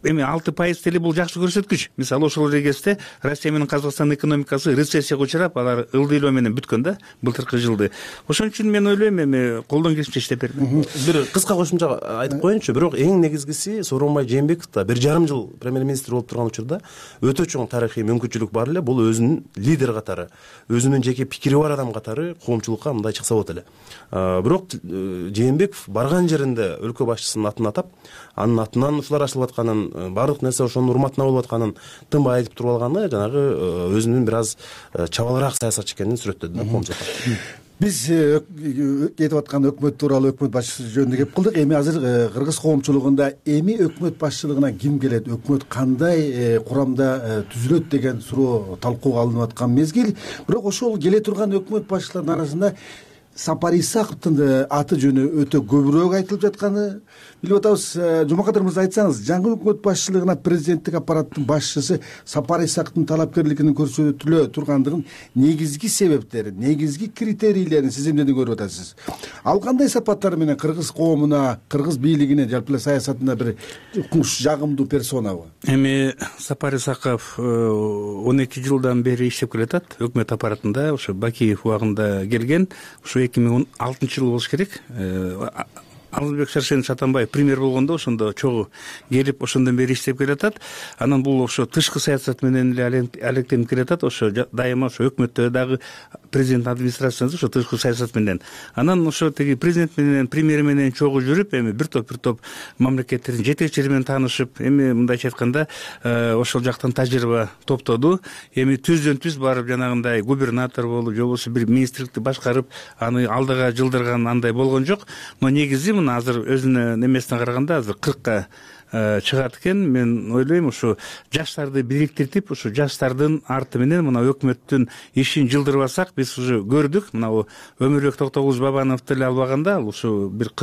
эми 6% деле бул жакшы көрсөткүч. Мисалы, ошол кезде Россия менен Казакстандын экономикасы рецессияга учурап, алар ылдыйлоо менен бүткөн да былтыркы жылды. Ошон үчүн мен ойлойм, эми колдон келишинче иштеп берди. Бир кыска кошумча айтып коеюнчу. Бирок эң негизгиси Сооронбай Жээнбеков да 1,5 жыл премьер-министр болуп турган учурда өтө чоң тарыхый мүмкүнчүлүк бар эле. Бул өзүнүн лидер катары, өзүнүн жеке пикири бар адам катары коомчулукка мындай чыкса болот эле. Бирок Жээнбеков барган жеринде өлкө башчысынын атын атап, анын атынан ушулар ачылып атканын, баардык нерсе ошонун урматына болуп атканын тынбай айтып туруп алганы жанагы өзүнүн бир аз чабалыраак саясатчы экенин сүрөттөдү да коомчулукка. Биз кетип аткан өкмөт тууралуу, өкмөт башчысы жөнүндө кеп кылдык. Эми азыр кыргыз коомчулугунда эми өкмөт башчылыгына ким келет, өкмөт кандай курамда түзүлөт деген суроо талкууга алынып аткан мезгил. Бирок ошол келе турган өкмөт башчыларынын арасында Сапар Исаковдун аты жөнү өтө көбүрөөк айтылып жатканы билип атабыз. Жумакадыр мырза, айтсаңыз, жаңы өкмөт башчылыгына президенттик аппараттын башчысы Сапар Исаковдун талапкерлигинин көрсөтүлө тургандыгын негизги себептерин, негизги критерийлерин сиз эмнеден көрүп атасыз? Ал кандай сапаттары менен кыргыз коомуна, кыргыз бийлигине, жалпы эле саясатына бир жагымдуу персонабы? Эми Сапар Исаков 12 жылдан бери иштеп келатат өкмөт аппаратында. Ошо Бакиев убагында келген. Ошо 2016 жыл болуш керек. Алмазбек Шаршенович Атамбаев премьер болгондо ошондо чогуу келип ошондон бери иштеп келатат. Анан бул ошо тышкы саясат менен эле алектенип келатат. Ошо дайыма ошо өкмөттө дагы президент администрациясы ошо тышкы саясат менен. Анан ошо тиги президент менен, премьер менен чогуу жүрүп, эми бир топ мамлекеттердин жетекчилери менен таанышып, эми мындайча айтканда ошол жактан тажрыйба топтоду. Эми түздөн-түз барып жанагындай губернатор болуп, же болбосо бир министрликти башкарып, аны алдыга жылдырган андай болгон жок. Но негизи мына азыр өзүнүн эмесине караганда азыр 40-ка чыгат экен. Мен ойлойм, ушу жаштарды бириктиртип, ушу жаштардын арты менен мына өкмөттүн ишин жылдырбасак, биз уже көрдүк. Мына Өмүрбек Токтогулович Бабановду эле албаганда, ал ушу бир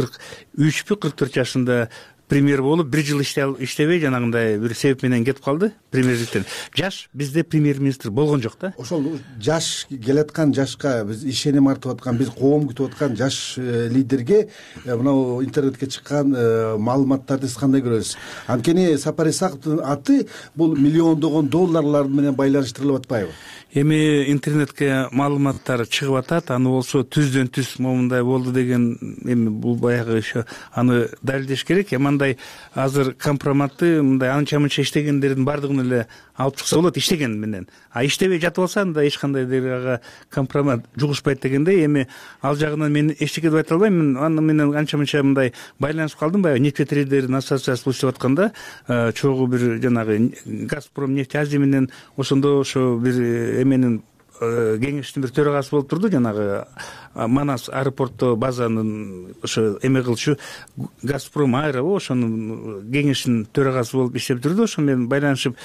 43-44 жашында премьер болуп, 1 жыл иштебей жанагындай бир себеп менен кетип калды премьерликтен. Жаш бизде премьер-министр болгон жок да. Ошол жаш келаткан жашка биз ишеним артып аткан, биз коом күтүп аткан жаш лидерге мына интернетке чыккан маалыматтарды кандай көрөсүз? Анткени Сапар Исаковдун аты бул миллиондогон долларлар менен байланыштырылып атпайбы? Эми интернетке маалыматтар чыгып атат, аны болсо түздөн-түз момундай болду деген, эми бул баягы аны далилдеш керек. Мындай азыр компроматты мындай анча-мынча иштегендердин баардыгын эле алып чыкса болот иштеген менен. Иштебей жатып алса, анда эч кандай дагы компромат жугушпайт дегендей. Эми ал жагынан мен эчтеке деп айта албайм. Мен аны менен анча-мынча мындай байланышып калдым. Баягы нефтетрейдердин ассоциациясы иштеп атканда чогуу бир жанагы Газпром нефть Азия менен ошондо ошо бир эменин кеңештин бир төрагасы болуп турду, жанагы Манас аэропортто базанын ошо эме кылчу Газпром Аэро ошонун кеңештин төрагасы болуп иштеп жүрдү. Ошо менен байланышып,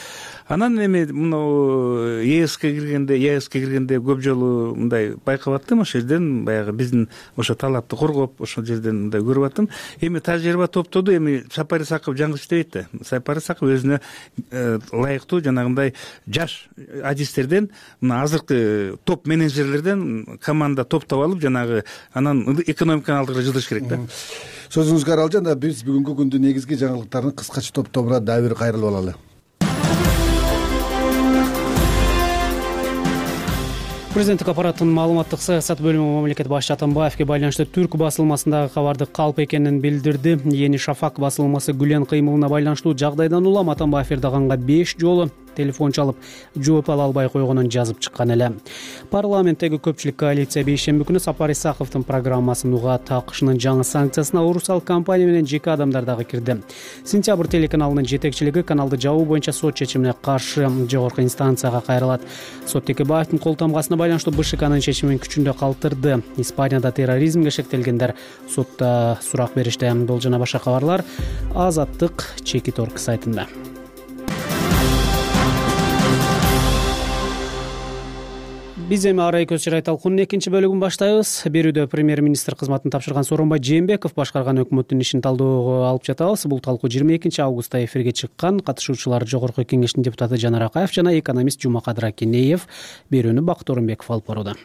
анан эми мына ЕСке киргенде көп жолу мындай байкап аттым. Ошол жерден баягы биздин ошо талапты коргоп, ошол жерден мындай көрүп аттым. Эми тажрыйба топтоду. Эми Сапар Исаков жаңы иштебейт да. Сапар Исаков өзүнө ылайыктуу жанагындай жаш адистерден, мына азыркы топ менеджерлерден команда топтоп алып, жанагы анан экономиканы алдыга жылдыш керек да. Сөзүңүзгө аралжан, биз бүгүнкү күндүн негизги жаңылыктарын кыскача топтомуна дагы бир кайрылып алалы. Президенттик аппараттын маалыматтык саясат бөлүмү мамлекет башчы Атамбаевге байланыштуу Түрк басылмасындагы кабарды калп экенин билдирди. Yeni Шафак басылмасы Гүлен кыймылына байланыштуу жагдайдан улам Атамбаев Эрдоганга 5 жолу телефон чалып жооп ала албай койгонун жазып чыккан эле. Парламенттеги көпчүлүк коалиция бейшемби күнү Сапар Исаковдун программасын уга такышынын жаңы санкциясына Урусал компания менен жеке адамдар дагы кирди. Сентябрь телеканалынын жетекчилиги каналды жабуу боюнча сот чечимине каршы жогорку инстанцияга кайрылат. Сот Текебаевдин кол тамгасына байланыштуу БШКнын чечимин күчүндө калтырды. Испанияда терроризмге шектелгендер сотто сурак беришти. Бул жана башка кабарлар Азаттык Чекит.org сайтында. Биз эми арай көз чырай талкуунун экинчи бөлүгүн баштайбыз. Берүүдө премьер-министр кызматын тапшырган Сооронбай Жээнбеков башкарган өкмөттүн ишин талдөөгө алып жатабыз. Бул талкуу 22 августта эфирге чыккан. Катышуучулар Жогорку Кеңештин депутаты Жанар Акаев жана экономист Жумакадыр Акенеев. Берүүнү Бакыт Орунбеков алып барууда.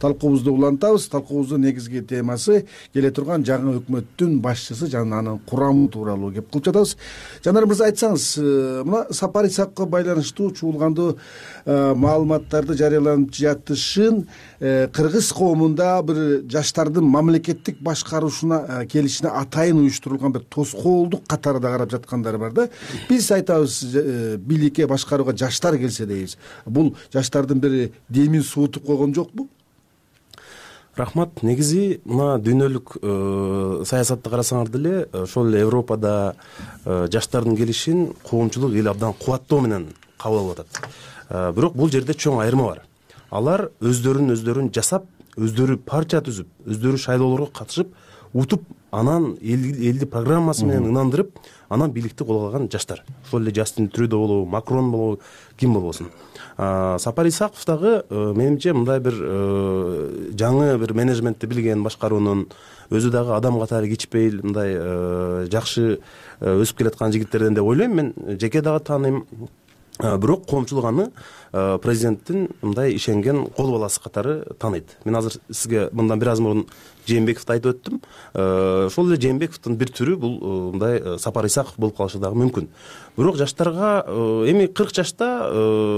Талкуубузду улантабыз. Талкуубуздун негизги темасы келе турган жаңы өкмөттүн башчысы жана анын курамы тууралуу кеп кылып жатабыз. Жанар мырза, айтсаңыз, мына Сапар Исаковго байланыштуу чуулгандуу маалыматтарды жарыяланып жатышын кыргыз коомунда бир жаштардын мамлекеттик башкаруусуна келишине атайын уюштурулган бир тоскоолдук катары да карап жаткандар бар да. Биз айтабыз, бийликке башкарууга жаштар келсе дейбиз. Бул жаштардын бир демин суутуп койгон жокпу? Рахмат. Негизи мына дүйнөлүк саясатты карасаңар деле ошол эле Европада жаштардын келишин коомчулук эл абдан кубаттоо менен кабыл алып атат. Бирок бул жерде чоң айырма бар. Алар өздөрүн жасап, өздөрү партия түзүп, өздөрү шайлоолорго катышып, утуп, анан элди программасы менен ынандырып, анан бийликти колго алган жаштар. Ошол эле Жастин Трюдо болобу, Макрон болобу, ким болбосун. Сапар Исаков дагы менимче мындай бир жаңы бир менеджментти билген, башкаруунун өзү дагы адам катары кичпейил, мындай жакшы өсүп келаткан жигиттерден деп ойлойм. Мен жеке дагы тааныйм. Бирок коомчулук аны президенттин мындай ишенген кол баласы катары тааныйт. Мен азыр сизге мындан бир аз мурун Жээнбековду айтып өттүм. Ошол эле Жээнбековдун бир түрү бул мындай Сапар Исаков болуп калышы дагы мүмкүн. Бирок жаштарга эми 40 жашта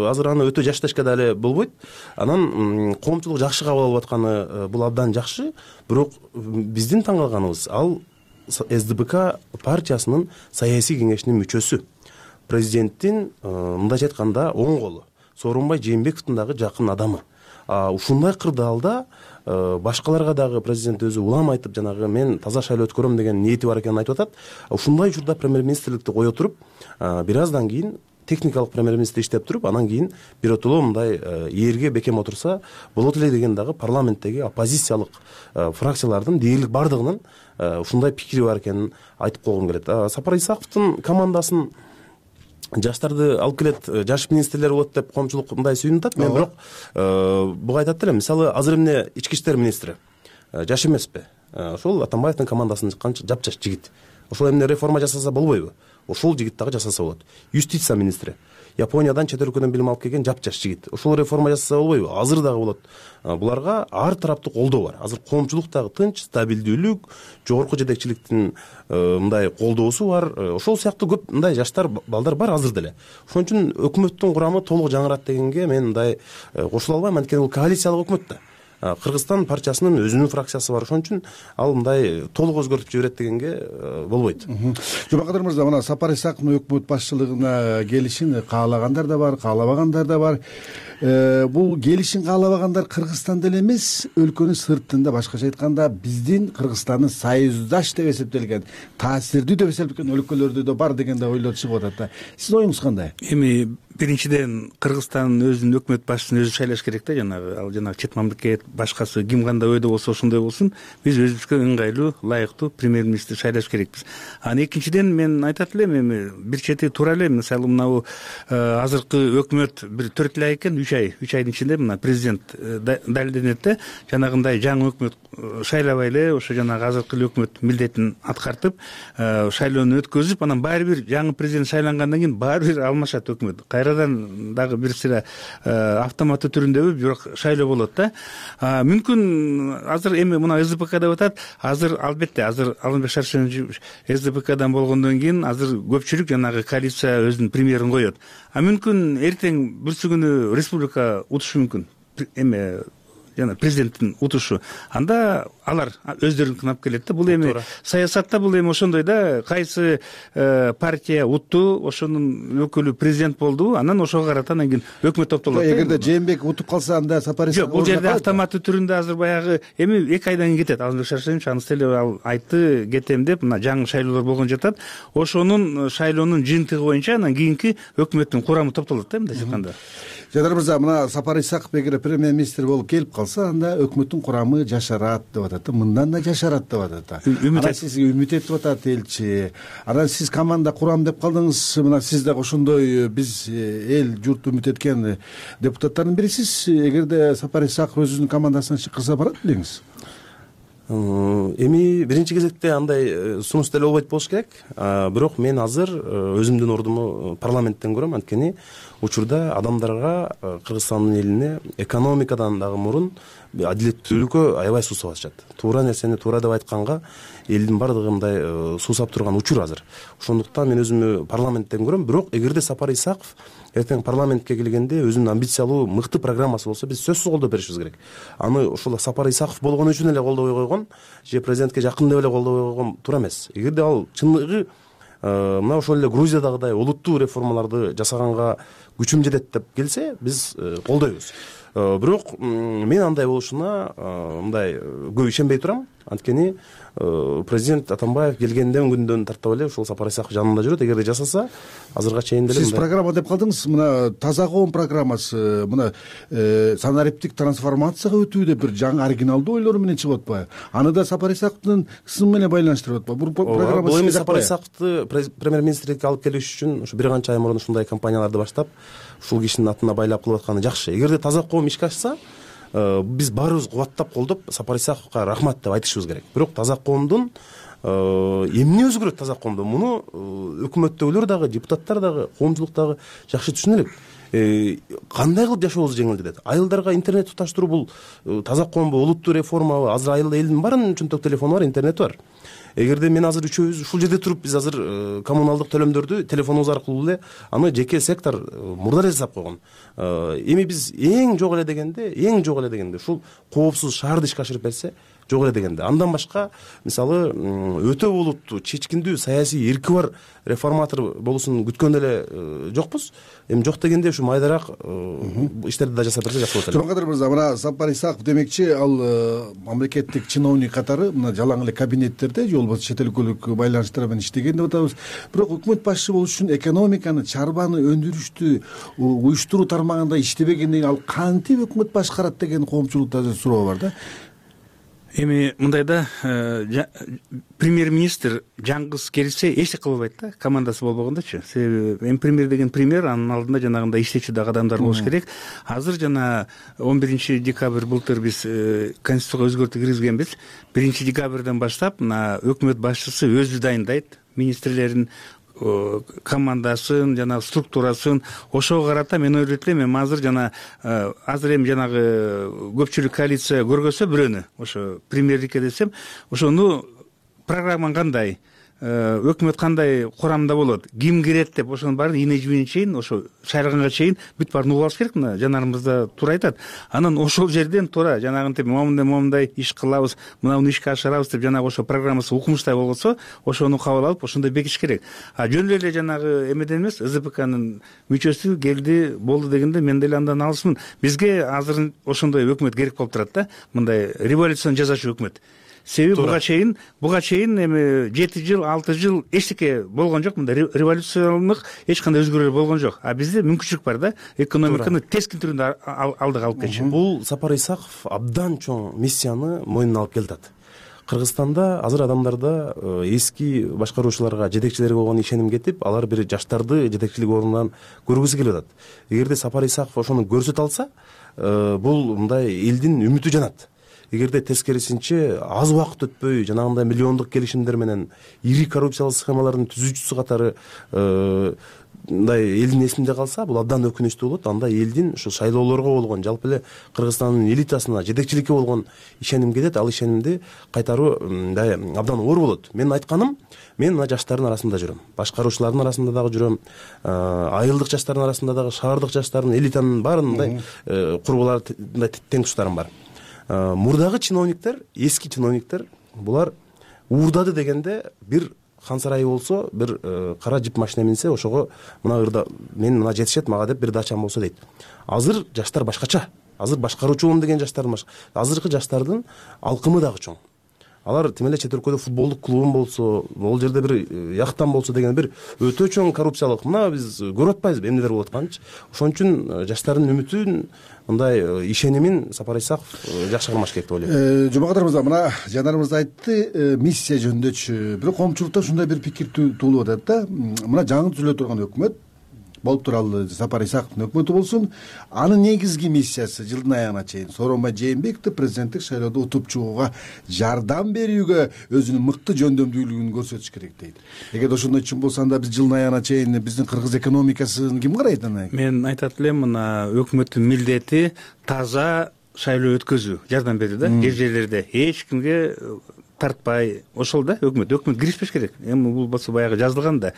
азыр аны өтө жаш дешке дагы болбойт. Анан коомчулук жакшы кабыл алып атканы бул абдан жакшы. Бирок биздин таң калганыбыз, ал СДПК партиясынын саясий кеңешинин мүчөсү. Президенттин мындайча айтканда оң колу, Сооронбай Жээнбековдун дагы жакын адамы. Ушундай кырдаалда башкаларга дагы президент өзү улам айтып, жанагы мен таза шайлоо өткөрөм деген ниети бар экенин айтып атат. Ушундай учурда премьер-министрликти кое туруп, бир аздан кийин техникалык премьер-министр иштеп туруп, анан кийин биротоло мындай ээрге бекем отурса болот эле деген дагы парламенттеги оппозициялык фракциялардын дээрлик бардыгынын ушундай пикири бар экенин айтып койгум келет. Сапар Исаковдун командасын жаштарды алып келет, жаш министрлер болот деп коомчулук мындай сүйүнүп атат. Мен бирок буга айтат элем. Мисалы, азыр эмне ички иштер министри жаш эмеспи? Ошол Атамбаевдин командасынан чыккан жапжаш жигит. Ошол эмне реформа жасаса болбойбу? Ошол жигит дагы жасаса болот. Юстиция министри Япониядан чет өлкөдөн билим алып келген жапжаш жигит. Ошол реформа жасаса болбойбу? Азыр дагы болот. Буларга ар тараптуу колдоо бар. Азыр коомчулук дагы тынч, стабилдүүлүк, жогорку жетекчиликтин мындай колдоосу бар. Ошол сыяктуу көп мындай жаштар, балдар бар азыр деле. Ошон үчүн өкмөттүн курамы толук жаңырат дегенге мен мындай кошула албайм. Анткени бул коалициялык өкмөт да. Кыргызстан партиясынын өзүнүн фракциясы бар. Ошон үчүн ал мындай толук өзгөртүп жиберет дегенге болбойт. Жумакадыр мырза, мына Сапар Исаковдун өкмөт башчылыгына келишин каалагандар да бар, каалабагандар да бар. бул келишим каалабагандар Кыргызстанда эле эмес, өлкөнүн сыртында, башкача айтканда биздин Кыргызстандын союздаш деп эсептелген, таасирдүү деп эсептелген өлкөлөрдө да бар деген да ойлор чыгып атат да. Сиздин оюңуз кандай? Эми биринчиден Кыргызстандын өзүнүн өкмөт башчысын өзү шайлаш керек да, ал жанагы чет мамлекет башкасы ким кандай ойдо болсо ошондой болсун. Биз өзүбүзгө ыңгайлуу, ылайыктуу премьер-министр шайлаш керекпиз. Анан экинчиден мен айтат элем, эми бир чети туура эле, мисалы мынабу азыркы өкмөт бир 4 ай экен, 3 айдын ичинде мына президент далилденет да, жанагындай жаңы өкмөт шайлабай эле ошо жанагы азыркы өкмөт милдетин аткартып, шайлоону өткөзүп, анан баары бир жаңы президент шайлангандан кийин баары бир алмашат өкмөт. Кайрадан дагы бир сыйра автоматтуу түрүндөбү, бирок шайлоо болот да. Мүмкүн азыр эми мына СДПК деп атат, азыр албетте азыр Алымбек Шаршенович СДПКдан болгондон кийин азыр көпчүлүк жанагы коалиция өзүнүн премьерин коет. Мүмкүн эртең бүрсү күнү республика утушу мүмкүн, эми жана президенттин утушу. Анда алар өздөрүн кынап келет да. Бул эми саясатта бул эми ошондой да, кайсы партия утту, ошонун өкүлү президент болду, анан ошого карата анан кийин өкмөт топтолот. Эгерде Жээнбеков утуп калса, анда Сапар Исаков. Жок, бул жерде автоматтуу түрүндө азыр баягы эми 2 айдан кийин кетет. Алымбек Шаршенович анысы эле ал айтты, кетем деп, мына жаңы шайлоолор болгон жатат. Ошонун шайлоонун жыйынтыгы боюнча анан кийинки өкмөттүн курамы топтолот да, мындай айтканда. Жадар мырза, мына Сапар Исаков эгер премьер-министр болуп келип калса, анда өкмөттүн курамы жашарат деп атат. Мындан да жашарат деп атат. Анан сизге үмүт этип атат элчи. Анан сиз команда курам деп калдыңыз. Мына сиз дагы ошондой биз эл журт үмүт эткен депутаттардын бирисиз. Эгерде Сапар Исаков өзүнүн командасынан чыккырса барат белеңиз? Эми биринчи кезекте андай сунуш деле болбойт болуш керек. Бирок мен азыр өзүмдүн ордуму парламенттен көрөм, анткени учурда адамдарга, Кыргызстандын элине экономикадан дагы мурун адилеттүүлүккө аябай суусап атышат. Туура нерсени туура деп айтканга элдин баардыгы мындай суусап турган учур азыр. Ошондуктан мен өзүмү парламенттен көрөм. Бирок эгерде Сапар Исаков эртең парламентке келгенде өзүнүн амбициялуу, мыкты программасы болсо, биз сөзсүз колдоп беришибиз керек. Аны ошол Сапар Исаков болгон үчүн эле колдобой койгон, же президентке жакын деп эле колдобой койгон туура эмес. Эгерде ал чындыгы мына ошол эле Грузиядагыдай олуттуу реформаларды жасаганга күчүм жетет деп келсе, биз колдойбуз. Бирок мен андай болушуна мындай көп ишенбей турам. Анткени президент Атамбаев келгенден күндөн тартып эле ушул Сапар Исаков жанында жүрөт. Эгерде жасаса, азырга чейин деле сиз программа деп калдыңыз. Мына таза коом программасы, мына санариптик трансформацияга өтүү деп бир жаңы оригиналдуу ойлор менен чыгып атпайбы? Аны да Сапар Исаковдун ысымы менен байланыштырып атпайбы? Бул программа бул эми Сапар Исаковду премьер-министрликке алып келиш үчүн ушу бир канча ай мурун ушундай компанияларды баштап, ушул кишинин атына байлап кылып атканы жакшы. Эгерде таза коом ишке ашса, биз баарыбыз кубаттап колдоп Сапар Исаковго рахмат деп айтышыбыз керек. Бирок таза коомдун эмне өзгөрөт таза коомдо? Муну өкмөттөгүлөр дагы, депутаттар дагы, коомчулук дагы жакшы түшүнө элек. Кандай кылып жашообуз жеңилдетет? Айылдарга интернет туташтыруу бул таза коомбу, олуттуу реформабы? Азыр айылда элдин баарынын чөнтөк телефону бар, интернети бар. Эгерде мен азыр үчөөбүз ушул жерде туруп, биз азыр коммуналдык төлөмдөрдү телефонубуз аркылуу эле аны жеке сектор мурда жасап койгон. Эми биз эң жок эле дегенде ушул коопсуз шаарды ишке ашырып берсе, жок эле дегенде. Андан башка, мисалы, өтө олуттуу, чечкиндүү, саясий эрки бар реформатор болуусун күткөн эле жокпуз. Эми жок дегенде ушу майдараак иштерди да жасап берсе жакшы болот эле. Жомакадыр мырза, мына Сапар Исаков демекчи, ал мамлекеттик чиновник катары мына жалаң эле кабинеттерде же болбосо чет өлкөлүк байланыштар менен иштеген деп атабыз. Бирок өкмөт башчы болуш үчүн экономиканы, чарбаны, өндүрүштү уюштуруу тармагында иштебегенден ал кантип өкмөт башкарат деген коомчулукта суроо бар да. Эми мындай да, премьер-министр жаңгыз келсе эч кылбайт да, командасы болбогондочу. Себеби эми премьер деген премьер, анын алдында жанагындай иштечү дагы адамдар болуш керек. Азыр жана 11 декабрь былтыр биз конституцияга өзгөртүү киргизгенбиз. 1 декабрдан баштап мына өкмөт башчысы өзү дайындайт министрлерин, командасын, жана структурасын. Ошого карата мен ойлойт элем, эми азыр эми жанагы көпчүлүк коалиция көргөзсө бирөөнү, ошо премьерликке десем, ошону программаң кандай, өкмөт кандай курамда болот, ким кирет деп ошонун баарын ийне жибине чейин ошо шайраганга чейин бүт баарын угуп алыш керек. Мына жанарымызда туура айтат. Анан ошол жерден туура жанагынтип момундай иш кылабыз, мынауну ишке ашырабыз деп жанагы ошо программасы укмуштай болгосо ошону кабыл алып ошондой бекитиш керек. Жөн эле жанагы эмеден эмес, ЗПКнын мүчөсү келди болду дегенде мен деле андан алысмын. Бизге азыр ошондой өкмөт керек болуп турат да, мындай революцияны жасаучу өкмөт. Себеби буга чейин эми 7 жыл 6 жыл эчтеке болгон жок, мындай революциялык эч кандай өзгөрүүлөр болгон жок. А бизде мүмкүнчүлүк бар да, экономиканы тескин түрүндө алдыга алып кетчү. Бул Сапар Исаков абдан чоң миссияны мойнуна алып келатат. Кыргызстанда азыр адамдарда эски башкаруучуларга, жетекчилерге болгон ишеним кетип, алар бир жаштарды жетекчилик ордунан көргүсү келип атат. Эгерде Сапар Исаков ошону көрсөтө алса, бул мындай элдин үмүтү жанат. Эгерде тескерисинче аз убакыт өтпөй жанагындай миллиондук келишимдер менен ири коррупциялык схемалардын түзүүчүсү катары мындай элдин эсинде калса, бул абдан өкүнүчтүү болот. Анда элдин ушу шайлоолорго болгон, жалпы эле Кыргызстандын элитасына, жетекчиликке болгон ишеним кетет. Ал ишенимди кайтаруу мындай абдан оор болот. Менин айтканым, мен мына жаштардын арасында жүрөм, башкаруучулардын арасында дагы жүрөм, айылдык жаштардын арасында дагы, шаардык жаштардын, элитанын баарын мындай курбулар, мындай тең туштарым бар. Мурдагы чиновниктер, эски чиновниктер, булар уурдады дегенде бир хан сарайы болсо, бир кара жип машина минсе, ошого мына ырда мен мына жетишет мага деп бир дачам болсо дейт. Азыр жаштар башкача. Азыр башкаруучумун деген жаштардын башка. Азыркы жаштардын алкымы дагы чоң. Алар тим эле чет өлкөдө футболдук клубун болсо, ол жерде бир яхтан болсо деген бир өтө чоң коррупциялык, мына биз көрүп атпайбызбы эмнелер болуп атканын. Ошон үчүн жаштардын үмүтүн, мындай ишенимин Сапар Исаков жакшы кармаш керек деп ойлойм. Жумакадыр мырза, мына жанарымыз айтты миссия жөнүндөчү. Бирок коомчулукта ушундай бир пикир туулуп атат да. Мына жаңы түзүлө турган өкмөт болуп туралы Сапар Исаковдун өкмөтү болсун, анын негизги миссиясы жылдын аягына чейин Сооронбай Жээнбековду президенттик шайлоодо утуп чыгууга жардам берүүгө өзүнүн мыкты жөндөмдүүлүгүн көрсөтүш керек дейт. Эгерде ошондой чын болсо, анда биз жылдын аягына чейин биздин кыргыз экономикасын ким карайт анан? Мен айтат элем, мына өкмөттүн милдети таза шайлоо өткөзүү, жардам берүү да, жер-жерлерде эч кимге тартпай, ошол да өкмөт киришпеш керек. Эми бул болсо баягы жазылган да.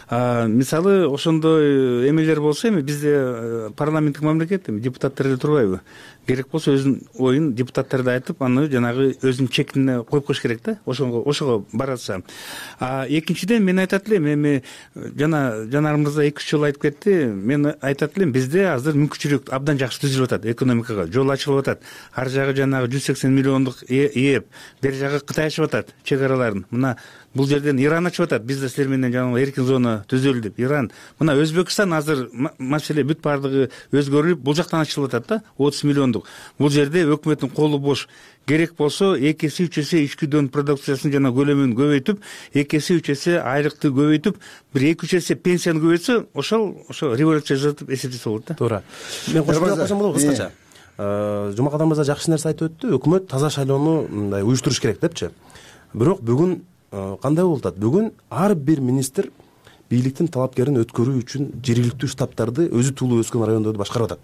Мисалы ошондой эмелер болсо, эми бизде парламенттик мамлекет, эми депутаттар эле турбайбы? Керек болсо өзүнүн оюн депутаттарда айтып, аны жанагы өзүнүн чектине коюп коюш керек да, ошого баратса. Экинчиден мен айтат элем, эми жанарымызда 2-3 жыл айтып кетти, мен айтат элем, бизде азыр мүмкүнчүлүк абдан жакшы түзүлүп атат, экономикага жол ачылып атат. Ар жагы жанагы 180 миллиондук ээп, бери жагы Кытай ачып атат чек араларын. Мына бул жерден Иран ачып атат, бизде силер менен жанагы эркин зона түзөлдү деп. Иран, мына Өзбекстан азыр маселе бүт бардыгы өзгөрүлүп, бул жактан ачылып атат да, 30 миллиондук. Бул жерде өкмөттүн колу бош. Керек болсо 2 эсе 3 эсе ички дөң продукциясынын жана көлөмүн көбөйтүп, 2 эсе 3 эсе айлыкты көбөйтүп, бир 2-3 эсе пенсияны көбөйтсө, ошо революция жасатып эсептесе болот да. Туура. Мен кошумча кылсам болобу кыскача? Жумакадыр мырза жакшы нерсе айтып өттү. Өкмөт таза шайлоону мындай уюштуруш керек депчи. Бирок бүгүн кандай болуп атат? Бүгүн ар бир министр бийликтин талапкерин өткөрүү үчүн жергиликтүү штабтарды өзү туулуу өскөн райондорду башкарып атат.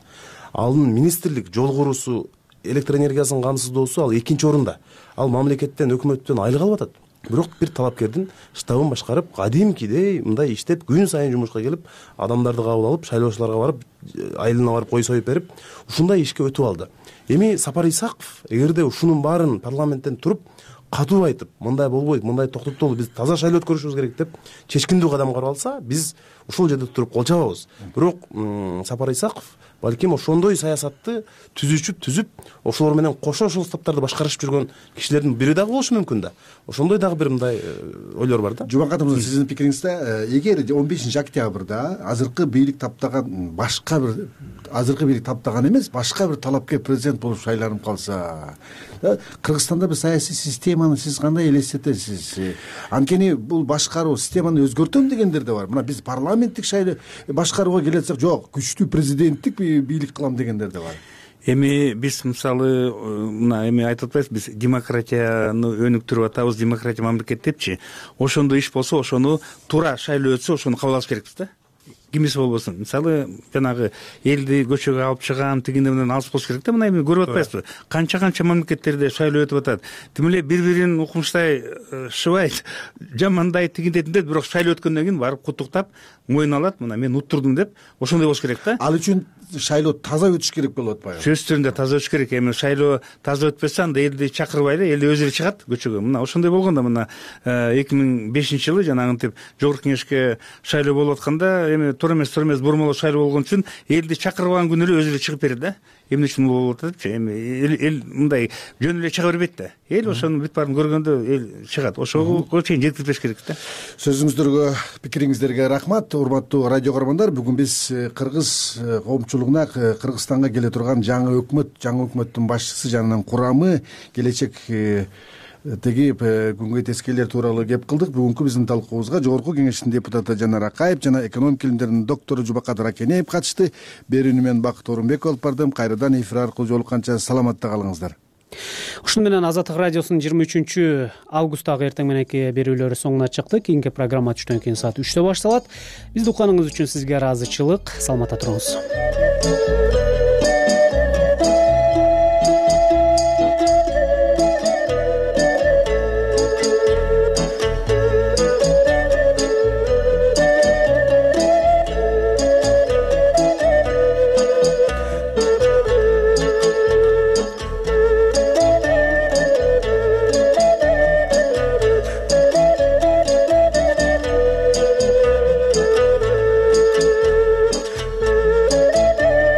Анын министрлик жол куруусу, электр энергиясынын камсыздоосу ал 2-нчи орунда. Ал мамлекеттен, өкмөттөн айлык алып атат. Бирок бир талапкердин штабын башкарып, кадимкидей мындай иштеп, күн сайын жумушка келип, адамдарды кабыл алып, шайлоочуларга барып, айылына барып кой союп берип, ушундай ишке өтүп алды. Эми Сапар Исаков эгерде ушунун баарын парламенттен туруп катуу айтып, мындай болбойт, мындай токтотолу, биз таза шайлоо өткөрүшүбүз керек деп чечкиндүү кадам карап алса, биз ушул жерде туруп кол чабабыз. Бирок Сапар Исаков балким ошондой саясатты түзүп, ошолор менен кошо ошол штабтарды башкарышып жүргөн кишилердин бири дагы болушу мүмкүн да. Ошондой дагы бир мындай ойлор бар да. Жумакадыр мырза, сиздин пикириңизде, эгер 15-октябрда азыркы бийлик таптаган эмес, башка бир талапкер президент болуп шайланып калса, Кыргызстанда бир саясий системаны сиз кандай элестетесиз? Анткени бул башкаруу системаны өзгөртөм дегендер да бар. Мына биз парламенттик шайлоо башкарууга келетсек, жок, күчтүү президенттик бийлик кылам дегендер да бар. Эми биз мисалы мына эми айтып атпайбыз, биз демократияны өнүктүрүп атабыз, демократия мамлекет депчи. Ошондой иш болсо, ошону туура шайлоо өтсө, ошону кабыл алыш керекпиз да. кимиси болбосун. Мисалы жанагы элди көчөгө алып чыгам тигинден мындан алыс болуш керек да. Мына эми көрүп атпайсызбы? Канча мамлекеттерде шайлоо өтүп атат. Тим эле бири-бирин укмуштай шыбайт, жамандайт, тигиндетинде, бирок шайлоо өткөндөн кийин барып куттуктап, мойнуна алат, мына мен уттурдум деп, ошондой болуш керек да. Ал үчүн шайлоо таза өтүш керек болуп атпайбы? Сөзсүз түрүндө таза өтүш керек. Эми шайлоо таза өтпөсө анда элди чакырбай эле, эл өзү эле чыгат көчөгө. Мына ошондой болгон да. Мына 2005-жылы жанагынтип жогорку кеңешке шайлоо болуп атканда, эми туура эмес бурмалоо шайлоо болгон үчүн элди чакырбаган күнү эле өзү эле чыгып берет да. Эмне үчүн болуп атат депчи. Эми эл мындай жөн эле чыга бербейт да. Эл ошонун бүт баарын көргөндө эл чыгат. Ошого чейин жеткирбеш керек да. Сөзүңүздөргө, пикириңиздерге рахмат. Урматтуу радио көрөрмандар, бүгүн биз кыргыз коомчулугуна Кыргызстанга келе турган жаңы өкмөттүн башчысы жанынан курамы, келечек күнгөй тескейлер тууралуу кеп кылдык. Бүгүнкү биздин талкуубузга жогорку кеңештин депутаты Жанар Акаев жана экономика илимдеринин доктору Жубакадыр Акенеев катышты. Берүүнү мен Бакыт Орунбеков алып бардым. Кайрадан эфир аркылуу жолукканча саламатта калыңыздар. Ушуну менен Азаттык радиосунун 23-августтагы эртең мененки берүүлөрү соңуна чыкты. Кийинки программа түштөн кийин саат 3-тө башталат. Бизди укканыңыз үчүн сизге ыраазычылык. Саламатта туруңуз.